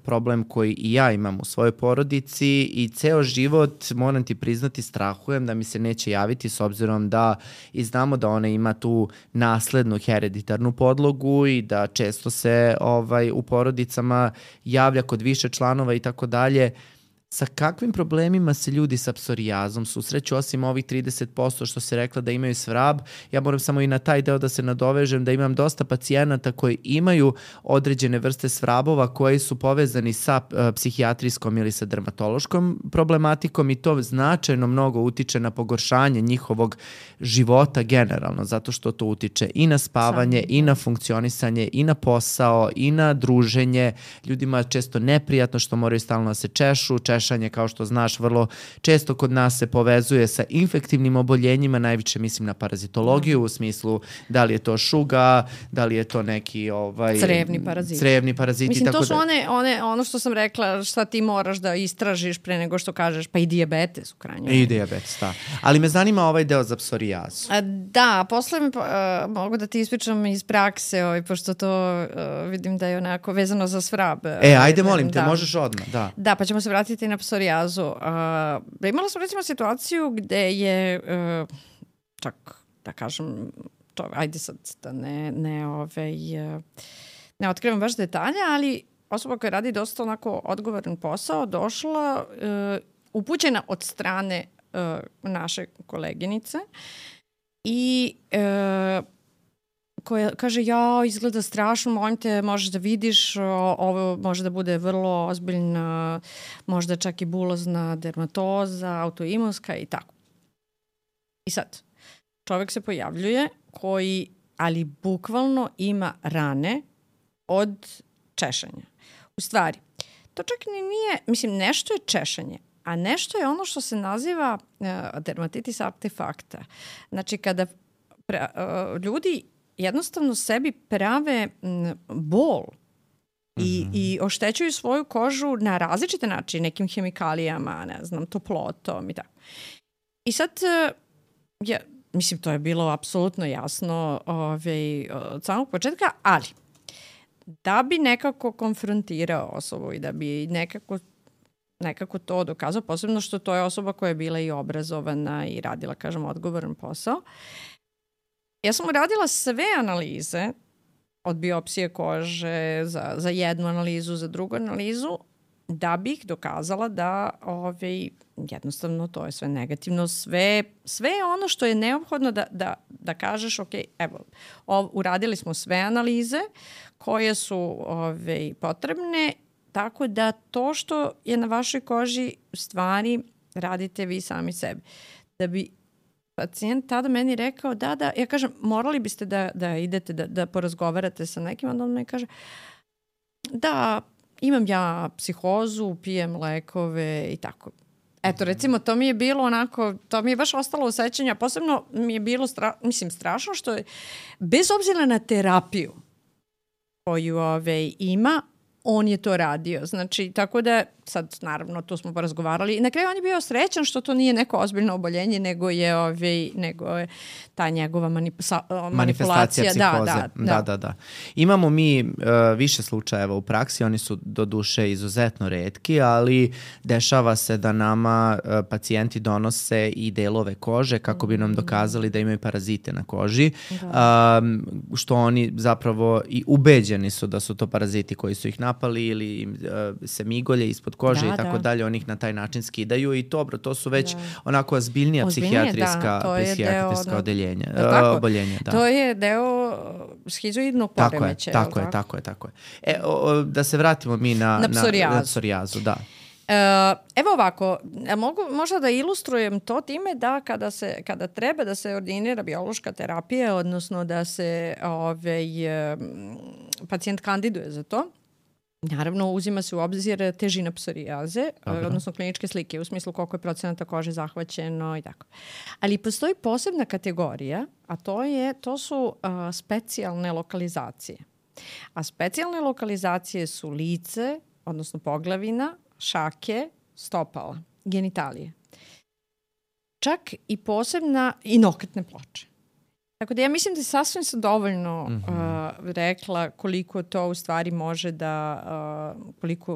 problem koji i ja imam u svojoj porodici i ceo život, moram ti priznati, strahujem da mi se neće javiti s obzirom da i znamo da ona ima tu naslednu hereditarnu podlogu i da često se u porodicama javlja kod više članova i tako dalje. Sa kakvim problemima se ljudi sa psorijazom susreću, osim ovih 30% što se rekla da imaju svrab? Ja moram samo i na taj deo da se nadovežem da imam dosta pacijenata koji imaju određene vrste svrabova koji su povezani sa psihijatrijskom ili sa dermatološkom problematikom i to značajno mnogo utiče na pogoršanje njihovog života generalno, zato što to utiče i na spavanje, i na funkcionisanje, i na posao, i na druženje. Ljudima je često neprijatno što moraju stalno da se češu, češanje, kao što znaš, vrlo često kod nas se povezuje sa infektivnim oboljenjima, najviše mislim na parazitologiju, u smislu da li je to šuga, da li je to neki crevni paraziti. Mislim, tako to su ono što sam rekla, šta ti moraš da istražiš pre nego što kažeš, pa i dijabetes u krajnjoj. I dijabetes, da. Ali me zanima ovaj deo za psorijazu. Da, posle mogu da ti ispričam iz prakse, pošto to vidim da je onako vezano za svrab. Ajde, molim te, možeš odmah, da. Da, pa ćemo se vratiti na psorijazu. Imala sam recimo situaciju gde je, čak da kažem, ajde sad da ne otkrivam baš detalje, ali osoba koja radi dosta onako odgovoran posao došla upućena od strane naše koleginice i koja kaže, izgleda strašno, molim te, možeš da vidiš, ovo može da bude vrlo ozbiljna, možda čak i bulozna dermatoza, autoimunska i tako. I sad, čovjek se pojavljuje koji, ali bukvalno ima rane od češanja. U stvari, to čak nije, mislim, nešto je češanje, a nešto je ono što se naziva dermatitis artefakta. Znači, kada ljudi jednostavno sebi prave bol i oštećuju svoju kožu na različite načine, nekim hemikalijama, ne znam, toplotom i tako. I sad, mislim, to je bilo apsolutno jasno od samog početka, ali da bi nekako konfrontirao osobu i da bi nekako to dokazao, posebno što to je osoba koja je bila i obrazovana i radila, kažem, odgovoran posao. Ja sam uradila sve analize od biopsije kože za jednu analizu, za drugu analizu, da bih dokazala da jednostavno to je sve negativno, sve je ono što je neophodno da kažeš, ok, evo, uradili smo sve analize koje su potrebne, tako da to što je na vašoj koži u stvari radite vi sami sebi. Da bi pacijent tada meni rekao, da, ja kažem, morali biste da idete, da porazgovarate sa nekim, onda on mi kaže, da, imam ja psihozu, pijem lekove i tako. Eto, recimo, to mi je bilo onako, to mi je baš ostalo u sećanju, posebno mi je bilo strašno što je, bez obzira na terapiju koju ima, on je to radio. Znači, tako da, sad, naravno, tu smo porazgovarali. I na kraju on je bio srećan što to nije neko ozbiljno oboljenje, nego je ta njegova manipulacija psihoze. Da. Imamo mi više slučajeva u praksi, oni su doduše izuzetno retki, ali dešava se da nama pacijenti donose i delove kože kako bi nam dokazali da imaju parazite na koži, što oni zapravo i ubeđeni su da su to paraziti koji su ih napali ili se migolje ispod kože i tako dalje, oni ih na taj način skidaju i dobro, to su već onako ozbiljnija psihijatrijska odeljenja. Oboljenja, da. To je deo šizoidnog poremećaja. Tako je. Da se vratimo mi na psorijazu, da. Evo ovako, mogu možda da ilustrujem to time da kada treba da se ordinira biološka terapija, odnosno da se pacijent kandiduje za to, Naravno, uzima se u obzir težina psorijaze, odnosno kliničke slike, u smislu koliko je procenata kože zahvaćeno i tako. Ali postoji posebna kategorija, a to su specijalne lokalizacije. A specijalne lokalizacije su lice, odnosno poglavina, šake, stopala, genitalije. Čak i posebna i nokretne ploče. Tako da ja mislim da sasvim sam dovoljno rekla koliko to u stvari može da,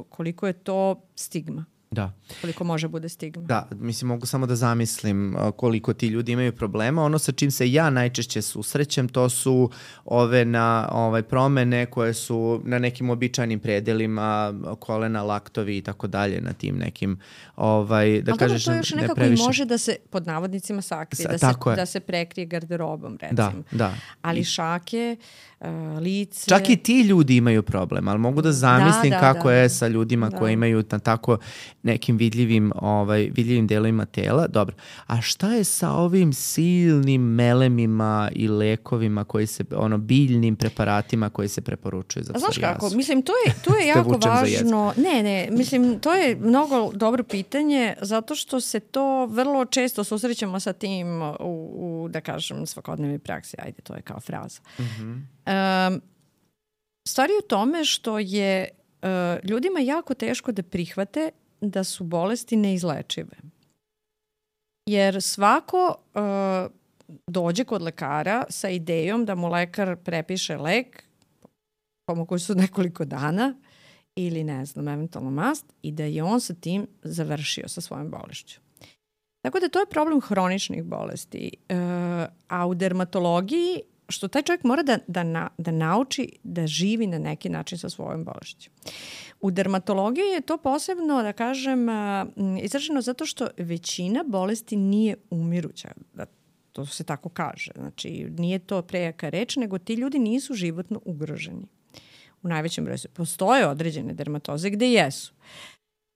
koliko je to stigma. Da. Koliko može bude stigma. Da, mislim, mogu samo da zamislim koliko ti ljudi imaju problema. Ono sa čim se ja najčešće susrećem, to su ove promene koje su na nekim običajnim predelima, kolena, laktovi i tako dalje, na tim nekim, da kažeš, to još nekako i može da se, pod navodnicima, sakrije, da se prekrije garderobom, recimo. Da. Ali šake, lice... Čak i ti ljudi imaju problem, ali mogu da zamislim kako je sa ljudima koji imaju tako nekim vidljivim delovima tela. Dobro. A šta je sa ovim silnim melemima i lekovima koji se, biljnim preparatima koji se preporučuju za psorijazu? Znaš kako, mislim, to je jako važno. Mislim, to je mnogo dobro pitanje, zato što se to vrlo često susrećemo sa tim u da kažem, svakodnevnoj praksi. Ajde, to je kao fraza. Stvar je u tome što je ljudima jako teško da prihvate da su bolesti neizlečive. Jer svako dođe kod lekara sa idejom da mu lekar prepiše lek, pomogu su nekoliko dana, ili ne znam, eventualno mast, i da je on sa tim završio sa svojom bolešću. Tako da to je problem hroničnih bolesti. A u dermatologiji, što taj čovjek mora da nauči da živi na neki način sa svojom bolešću. U dermatologiji je to posebno, da kažem, izraženo zato što većina bolesti nije umiruća. To se tako kaže. Znači, nije to prejaka reč, nego ti ljudi nisu životno ugroženi. U najvećem broju postoje određene dermatoze gde jesu.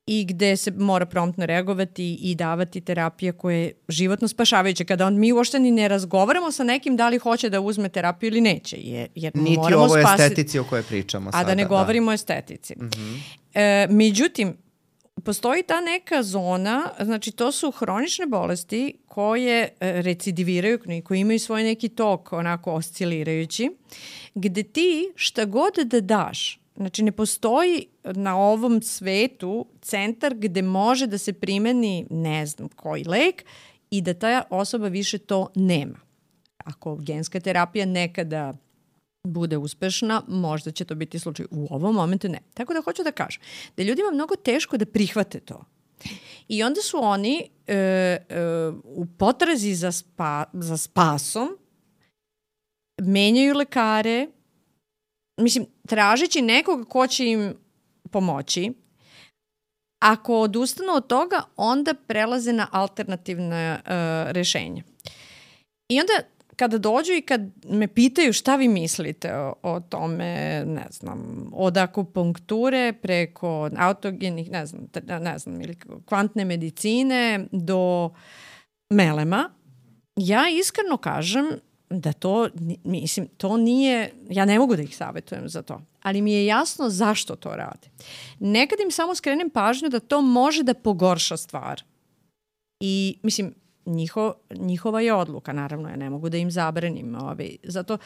I gde se mora promptno reagovati i davati terapije koje je životno spašavajuće. Kada mi uopšte ni ne razgovaramo sa nekim da li hoće da uzme terapiju ili neće. Jer niti ovo je estetici o kojoj pričamo sada. A da ne govorimo o estetici. Međutim, postoji ta neka zona, znači to su hronične bolesti koje recidiviraju, koji imaju svoj neki tok onako oscilirajući, gde ti šta god da daš, znači ne postoji na ovom svetu centar gde može da se primeni ne znam koji lek i da ta osoba više to nema. Ako genska terapija nekada bude uspešna, možda će to biti slučaj. U ovom momentu ne. Tako da hoću da kažem da je ljudima mnogo teško da prihvate to. I onda su oni u potrazi za spasom menjaju lekare, mislim, tražeći nekoga ko će im pomoći. Ako odustanu od toga, onda prelaze na alternativne rešenja. I onda kada dođu i kad me pitaju šta vi mislite o tome, ne znam, od akupunkture preko autogenih, ne znam, ili kvantne medicine do melema, ja iskreno kažem da to nije, ja ne mogu da ih savjetujem za to, ali mi je jasno zašto to rade. Nekad im samo skrenem pažnju da to može da pogorša stvar. I, mislim, njihova je odluka, naravno, ja ne mogu da im zabranim. Zato,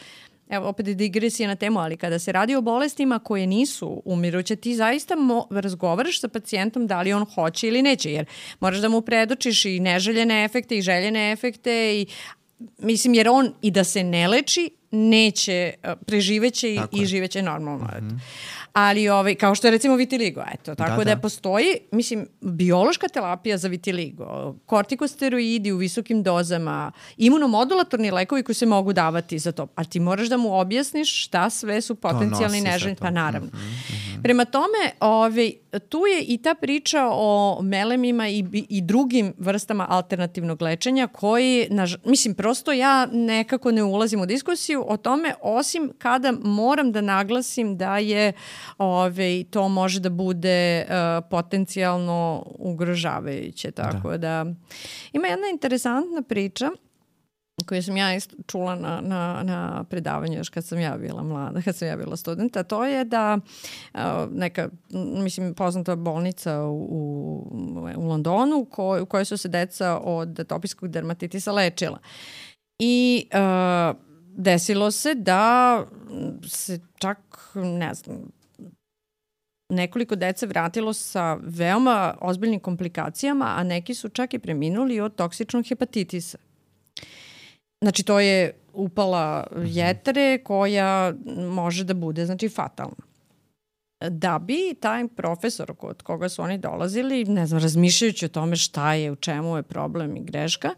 evo, opet digresija na temu, ali kada se radi o bolestima koje nisu umiruće, ti zaista razgovaraš sa pacijentom da li on hoće ili neće, jer moraš da mu predočiš i neželjene efekte i željene efekte, mislim, jer on i da se ne leči, neće, preživeće i živeće normalno. Ali kao što je recimo vitiligo, eto, tako da postoji, mislim, biološka terapija za vitiligo, kortikosteroidi u visokim dozama, imunomodulatorni lekovi koji se mogu davati za to, a ti moraš da mu objasniš šta sve su potencijalni neželjeni, pa naravno. Prema tome, tu je i ta priča o melemima i drugim vrstama alternativnog lečenja koji, mislim, prosto ja nekako ne ulazim u diskusiju o tome, osim kada moram da naglasim da je to može da bude potencijalno ugrožavajuće. Tako da ima jedna interesantna priča koju sam ja čula na predavanju još kad sam ja bila mlada, kad sam ja bila studenta, to je da neka, mislim, poznata bolnica u Londonu u kojoj su se deca od atopijskog dermatitisa lečila. I desilo se da se čak, ne znam, nekoliko dece vratilo sa veoma ozbiljnim komplikacijama, a neki su čak i preminuli od toksičnog hepatitisa. Znači, to je upala jetre koja može da bude, znači, fatalna. Da bi taj profesor od koga su oni dolazili, ne znam, razmišljajući o tome šta je, u čemu je problem i greška,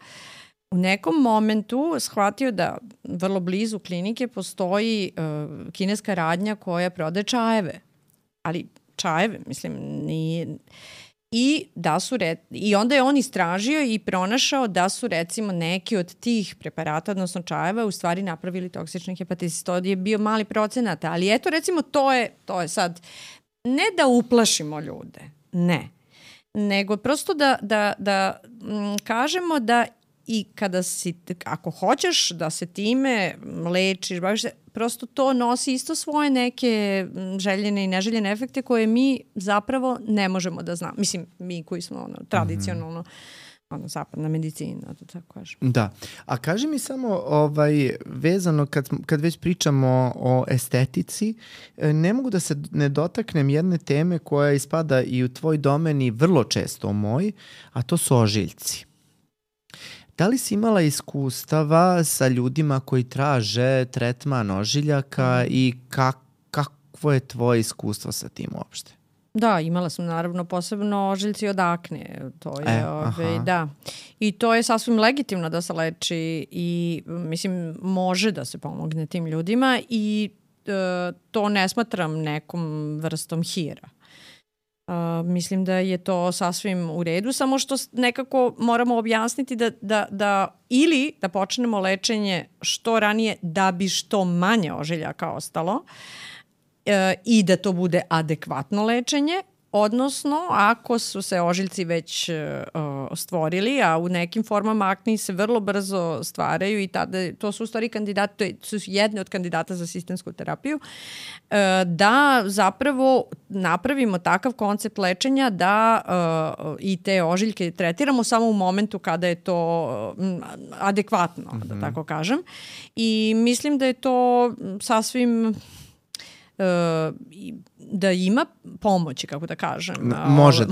u nekom momentu shvatio da vrlo blizu klinike postoji kineska radnja koja prodaje čajeve. Ali čajeve, mislim, nije... I onda je on istražio i pronašao da su recimo neki od tih preparata, odnosno čajeva, u stvari napravili toksični hepatitis. To je bio mali procenat, ali eto recimo to je sad, ne da uplašimo ljude, ne, nego prosto da kažemo da i kada ako hoćeš da se time lečiš, baviš se, prosto to nosi isto svoje neke željene i neželjene efekte koje mi zapravo ne možemo da znamo. Mislim, mi koji smo tradicionalno zapadna medicina, to tako kažem. Da. A kaži mi samo vezano kad već pričamo o estetici, ne mogu da se ne dotaknem jedne teme koja ispada i u tvoj domen i vrlo često u moj, a to su ožiljci. Da li si imala iskustava sa ljudima koji traže tretman ožiljaka i kakvo je tvoje iskustvo sa tim uopšte? Da, imala sam naravno posebno ožiljci od akne. To je, da. I to je sasvim legitimno da se leči i mislim može da se pomogne tim ljudima i to ne smatram nekom vrstom hira. Mislim da je to sasvim u redu, samo što nekako moramo objasniti da ili da počnemo lečenje što ranije da bi što manje ožiljaka ostalo i da to bude adekvatno lečenje, odnosno ako su se ožiljci već stvorili, a u nekim formama akne se vrlo brzo stvaraju i tada, to su u stvari kandidati, to su jedne od kandidata za sistemsku terapiju, da zapravo napravimo takav koncept lečenja da i te ožiljke tretiramo samo u momentu kada je to adekvatno, da tako kažem. I mislim da je to sasvim da ima pomoći, kako da kažem.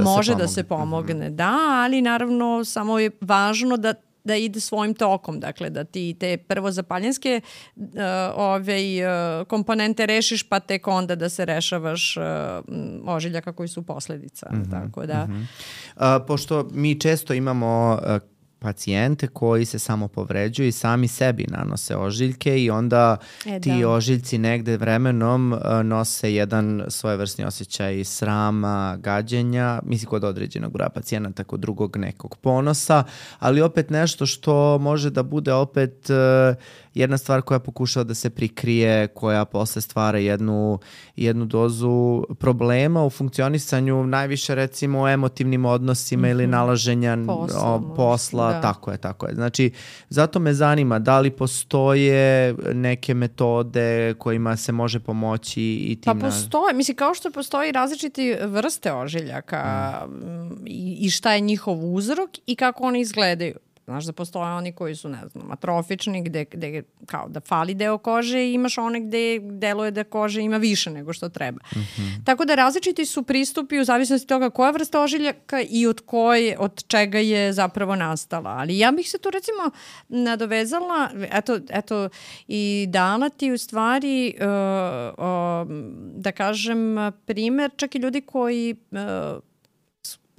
Može da se pomogne, da, ali naravno samo je važno da ide svojim tokom, dakle da ti te prvo zapaljenske komponente rešiš, pa tek onda da se rešavaš ožiljaka koji su posledica. Tako da. Pošto mi često imamo pacijente koji se samo povređuju i sami sebi nanose ožiljke i onda ti ožiljci negde vremenom nose jedan svojevrsni osjećaj srama, gađenja, mislim kod određenog broja pacijenata, kod drugog nekog ponosa, ali opet nešto što može da bude opet jedna stvar koja pokušava da se prikrije, koja posle stvara jednu dozu problema u funkcionisanju, najviše recimo o emotivnim odnosima ili nalaženja posla. Da. Tako je. Znači, zato me zanima da li postoje neke metode kojima se može pomoći i tim... Pa postoje, mislim, kao što postoji različiti vrste ožiljaka i šta je njihov uzrok i kako oni izgledaju. Znaš da postoje oni koji su, ne znam, atrofični, gde kao da fali deo kože i imaš one gde deluje da kože ima više nego što treba. Tako da različiti su pristupi u zavisnosti toga koja vrsta ožiljaka i od čega je zapravo nastala. Ali ja bih se tu recimo nadovezala, eto i dala ti u stvari, da kažem, primer čak i ljudi koji...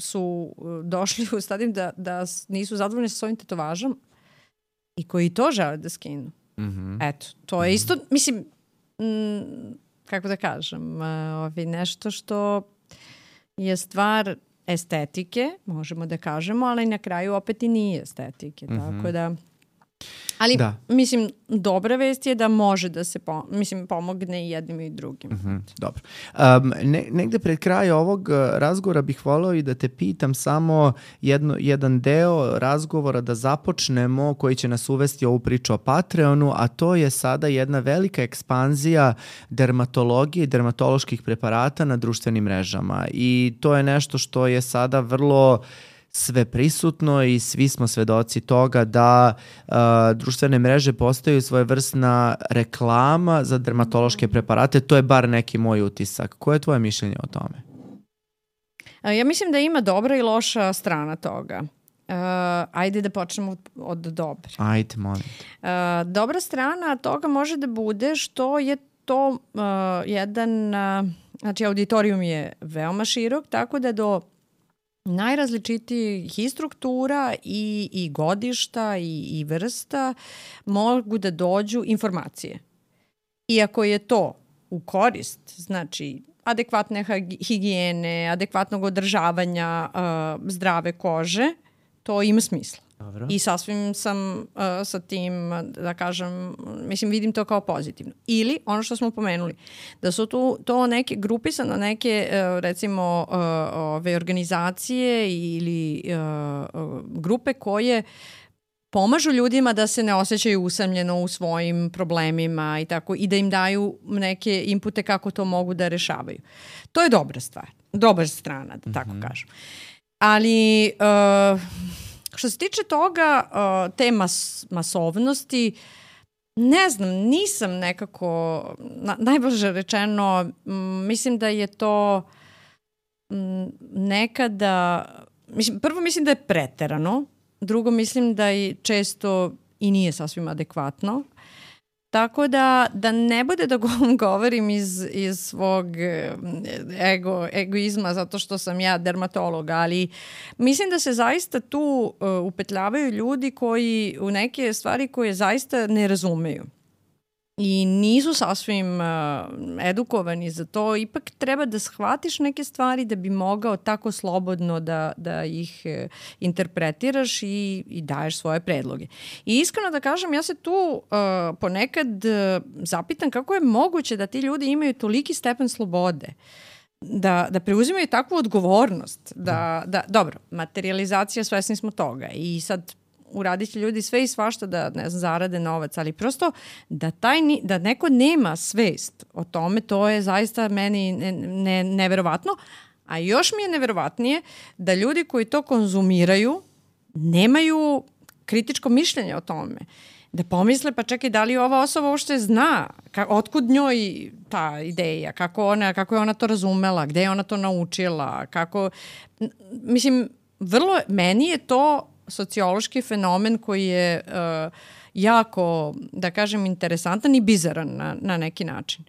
su došli u stadiju da nisu zadovoljni sa svojim tetovažom i koji to žele da skinu. Eto, to je isto, mislim, kako da kažem, nešto što je stvar estetike, možemo da kažemo, ali na kraju opet i nije estetike. Tako da... Ali, da. mislim, dobra vest je da može da se pomogne i jednim i drugim. Dobro. Negde pred kraj ovog razgovora bih voleo i da te pitam samo jedan deo razgovora da započnemo koji će nas uvesti ovu priču o Patreonu, a to je sada jedna velika ekspanzija dermatologije i dermatoloških preparata na društvenim mrežama. I to je nešto što je sada vrlo sve prisutno i svi smo svedoci toga da društvene mreže postaju svojevrsna reklama za dermatološke preparate. To je bar neki moj utisak. Koje je tvoje mišljenje o tome? Ja mislim da ima dobra i loša strana toga. Ajde da počnemo od dobre. Ajde, molim. Dobra strana toga može da bude što je to jedan, znači auditorijum je veoma širok, tako da do najrazličitijih i struktura i godišta i vrsta mogu da dođu informacije. Iako je to u korist, znači adekvatne higijene, adekvatnog održavanja zdrave kože, to ima smisla. Dobro. I sasvim sam sa tim, da kažem, mislim, vidim to kao pozitivno. Ili, ono što smo pomenuli, da su to neke grupisane, neke, recimo, ove organizacije ili grupe koje pomažu ljudima da se ne osjećaju usamljeno u svojim problemima i tako, i da im daju neke inpute kako to mogu da rešavaju. To je dobra stvar, dobra strana, da tako kažem. Ali što se tiče toga, te masovnosti, ne znam, nisam nekako, najbolje rečeno, mislim da je to nekada, prvo mislim da je preterano, drugo mislim da je često i nije sasvim adekvatno. Tako da ne bude da govorim iz svog egoizma zato što sam ja dermatolog, ali mislim da se zaista tu upetljavaju ljudi koji u neke stvari koje zaista ne razumeju i nisu sasvim edukovani za to. Ipak treba da shvatiš neke stvari da bi mogao tako slobodno da ih interpretiraš i daješ svoje predloge. I iskreno da kažem, ja se tu ponekad zapitam kako je moguće da ti ljudi imaju toliki stepen slobode, da preuzimaju takvu odgovornost. Dobro, materializacija, svesni smo toga i sad uradit će ljudi sve i svašta da, ne znam, zarade novac, ali prosto da neko nema svest o tome, to je zaista meni neverovatno, a još mi je neverovatnije da ljudi koji to konzumiraju nemaju kritičko mišljenje o tome. Da pomisle, pa čekaj, da li ova osoba uopšte zna, otkud njoj ta ideja, kako je ona to razumela, gde je ona to naučila, mislim, meni je to sociološki fenomen koji je jako, da kažem, interesantan i bizaran na neki način.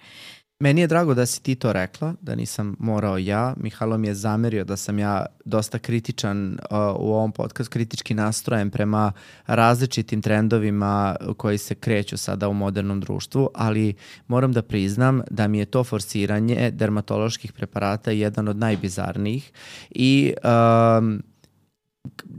Meni je drago da si ti to rekla, da nisam morao ja. Mihajlo mi je zamerio da sam ja dosta kritičan u ovom podcastu, kritički nastrojen prema različitim trendovima koji se kreću sada u modernom društvu, ali moram da priznam da mi je to forsiranje dermatoloških preparata jedan od najbizarnijih i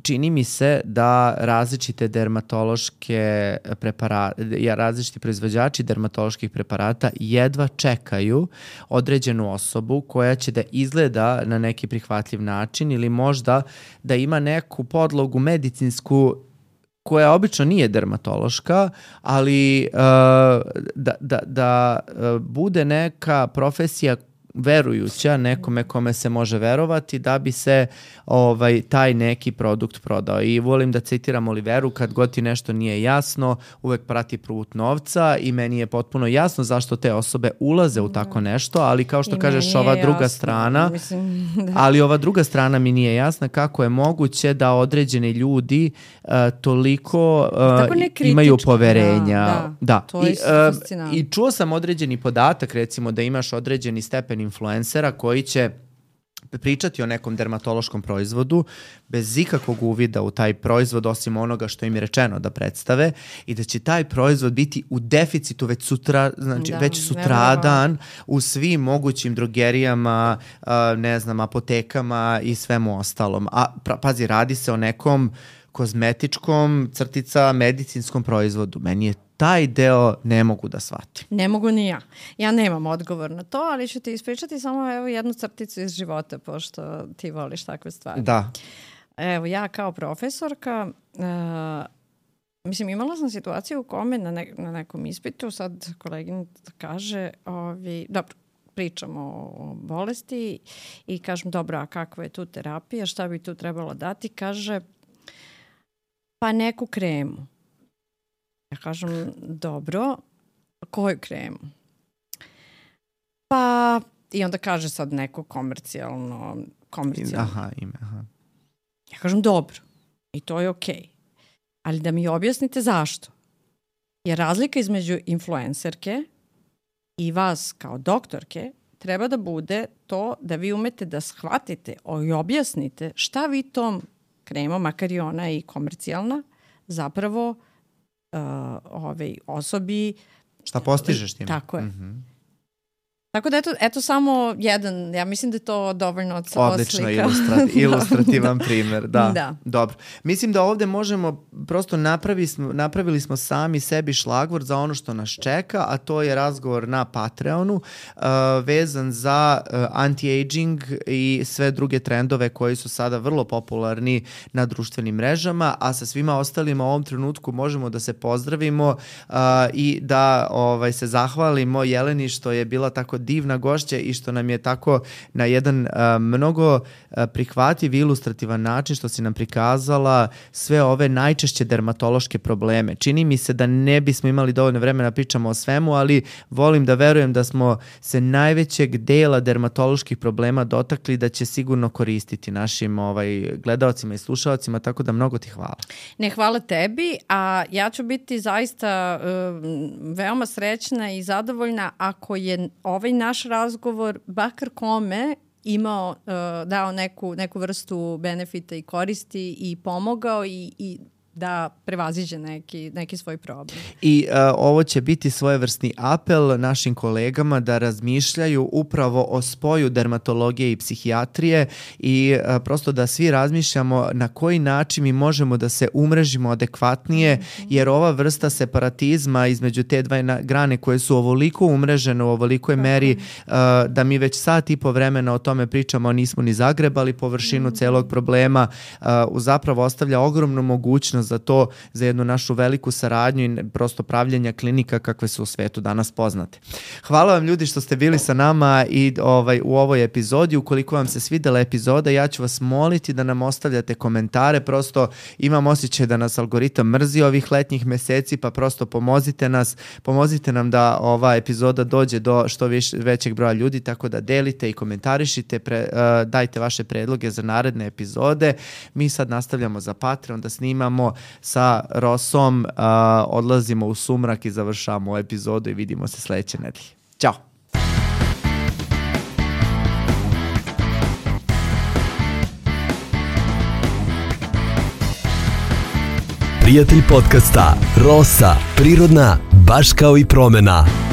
čini mi se da različite dermatološke preparate, različiti proizvođači dermatoloških preparata jedva čekaju određenu osobu koja će da izgleda na neki prihvatljiv način ili možda da ima neku podlogu medicinsku koja obično nije dermatološka, ali da bude neka profesija verujuća nekome kome se može verovati da bi se taj neki produkt prodao. I volim da citiram Oliveru, kad god ti nešto nije jasno, uvek prati put novca i meni je potpuno jasno zašto te osobe ulaze u tako nešto, ali kao što kažeš ova druga strana, ali ova druga strana mi nije jasna kako je moguće da određeni ljudi toliko imaju poverenja. Da. To je fascinantno. I čuo sam određeni podatak, recimo da imaš određeni stepen influencera koji će pričati o nekom dermatološkom proizvodu bez ikakvog uvida u taj proizvod osim onoga što im je rečeno da predstave i da će taj proizvod biti u deficitu već sutradan u svim mogućim drogerijama, apotekama i svemu ostalom. A pazi, radi se o nekom kozmetičkom, crtica medicinskom proizvodu. Meni je taj deo ne mogu da shvatim. Ne mogu ni ja. Ja nemam odgovor na to, ali ću ti ispričati samo evo jednu crticu iz života, pošto ti voliš takve stvari. Da. Evo, ja kao profesorka, mislim, imala sam situaciju u kome na nekom ispitu, sad koleginica kaže, dobro, pričamo o bolesti i kažem, dobro, a kakva je tu terapija, šta bi tu trebalo dati? Kaže, pa neku kremu. Ja kažem, dobro, koju kremu? Pa, i onda kaže sad neko komercijalno. Aha, ime, aha. Ja kažem, dobro, i to je okej. Ali da mi objasnite zašto. Jer razlika između influencerke i vas kao doktorke treba da bude to da vi umete da shvatite i objasnite šta vi tom kremom, makar i ona i komercijalna, zapravo osobi... Šta postižeš tim? Tako je. Tako da eto samo jedan, ja mislim da je to dovoljno odslika. Odlično, ilustrativan primer, da. Dobro. Mislim da ovde možemo, prosto napravili smo sami sebi šlagvort za ono što nas čeka, a to je razgovor na Patreonu vezan za anti-aging i sve druge trendove koji su sada vrlo popularni na društvenim mrežama, a sa svima ostalima u ovom trenutku možemo da se pozdravimo i da se zahvalimo Jeleni što je bila tako divna gošća i što nam je tako na jedan mnogo prihvatljiv i ilustrativan način što si nam prikazala sve ove najčešće dermatološke probleme. Čini mi se da ne bismo imali dovoljno vremena da pričamo o svemu, ali volim da verujem da smo se najvećeg dela dermatoloških problema dotakli, da će sigurno koristiti našim gledaocima i slušaocima, tako da mnogo ti hvala. Ne, hvala tebi, a ja ću biti zaista veoma srećna i zadovoljna ako je ovaj naš razgovor, bakar kome, dao neku vrstu benefita i koristi i pomogao i da prevaziđe neki svoj problem. I ovo će biti svojevrsni apel našim kolegama da razmišljaju upravo o spoju dermatologije i psihijatrije i prosto da svi razmišljamo na koji način mi možemo da se umrežimo adekvatnije, jer ova vrsta separatizma između te dve grane koje su ovoliko umrežene u ovolikoj meri da mi već sat i po vremena o tome pričamo, a nismo ni zagrebali površinu celog problema, zapravo ostavlja ogromnu mogućnost za to, za jednu našu veliku saradnju i prosto pravljenja klinika kakve su u svetu danas poznate. Hvala vam ljudi što ste bili sa nama i u ovoj epizodi. Ukoliko vam se svidela epizoda, ja ću vas moliti da nam ostavljate komentare. Prosto imam osjećaj da nas algoritam mrzi ovih letnjih meseci, pa prosto pomozite nam da ova epizoda dođe do što većeg broja ljudi, tako da delite i komentarišite, dajte vaše predloge za naredne epizode. Mi sad nastavljamo za Patreon da snimamo sa Rosom, odlazimo u sumrak i završavamo epizodu i vidimo se sledeće nedelje. Ćao! Prijatelj podcasta Rosa, prirodna, baš kao i promena.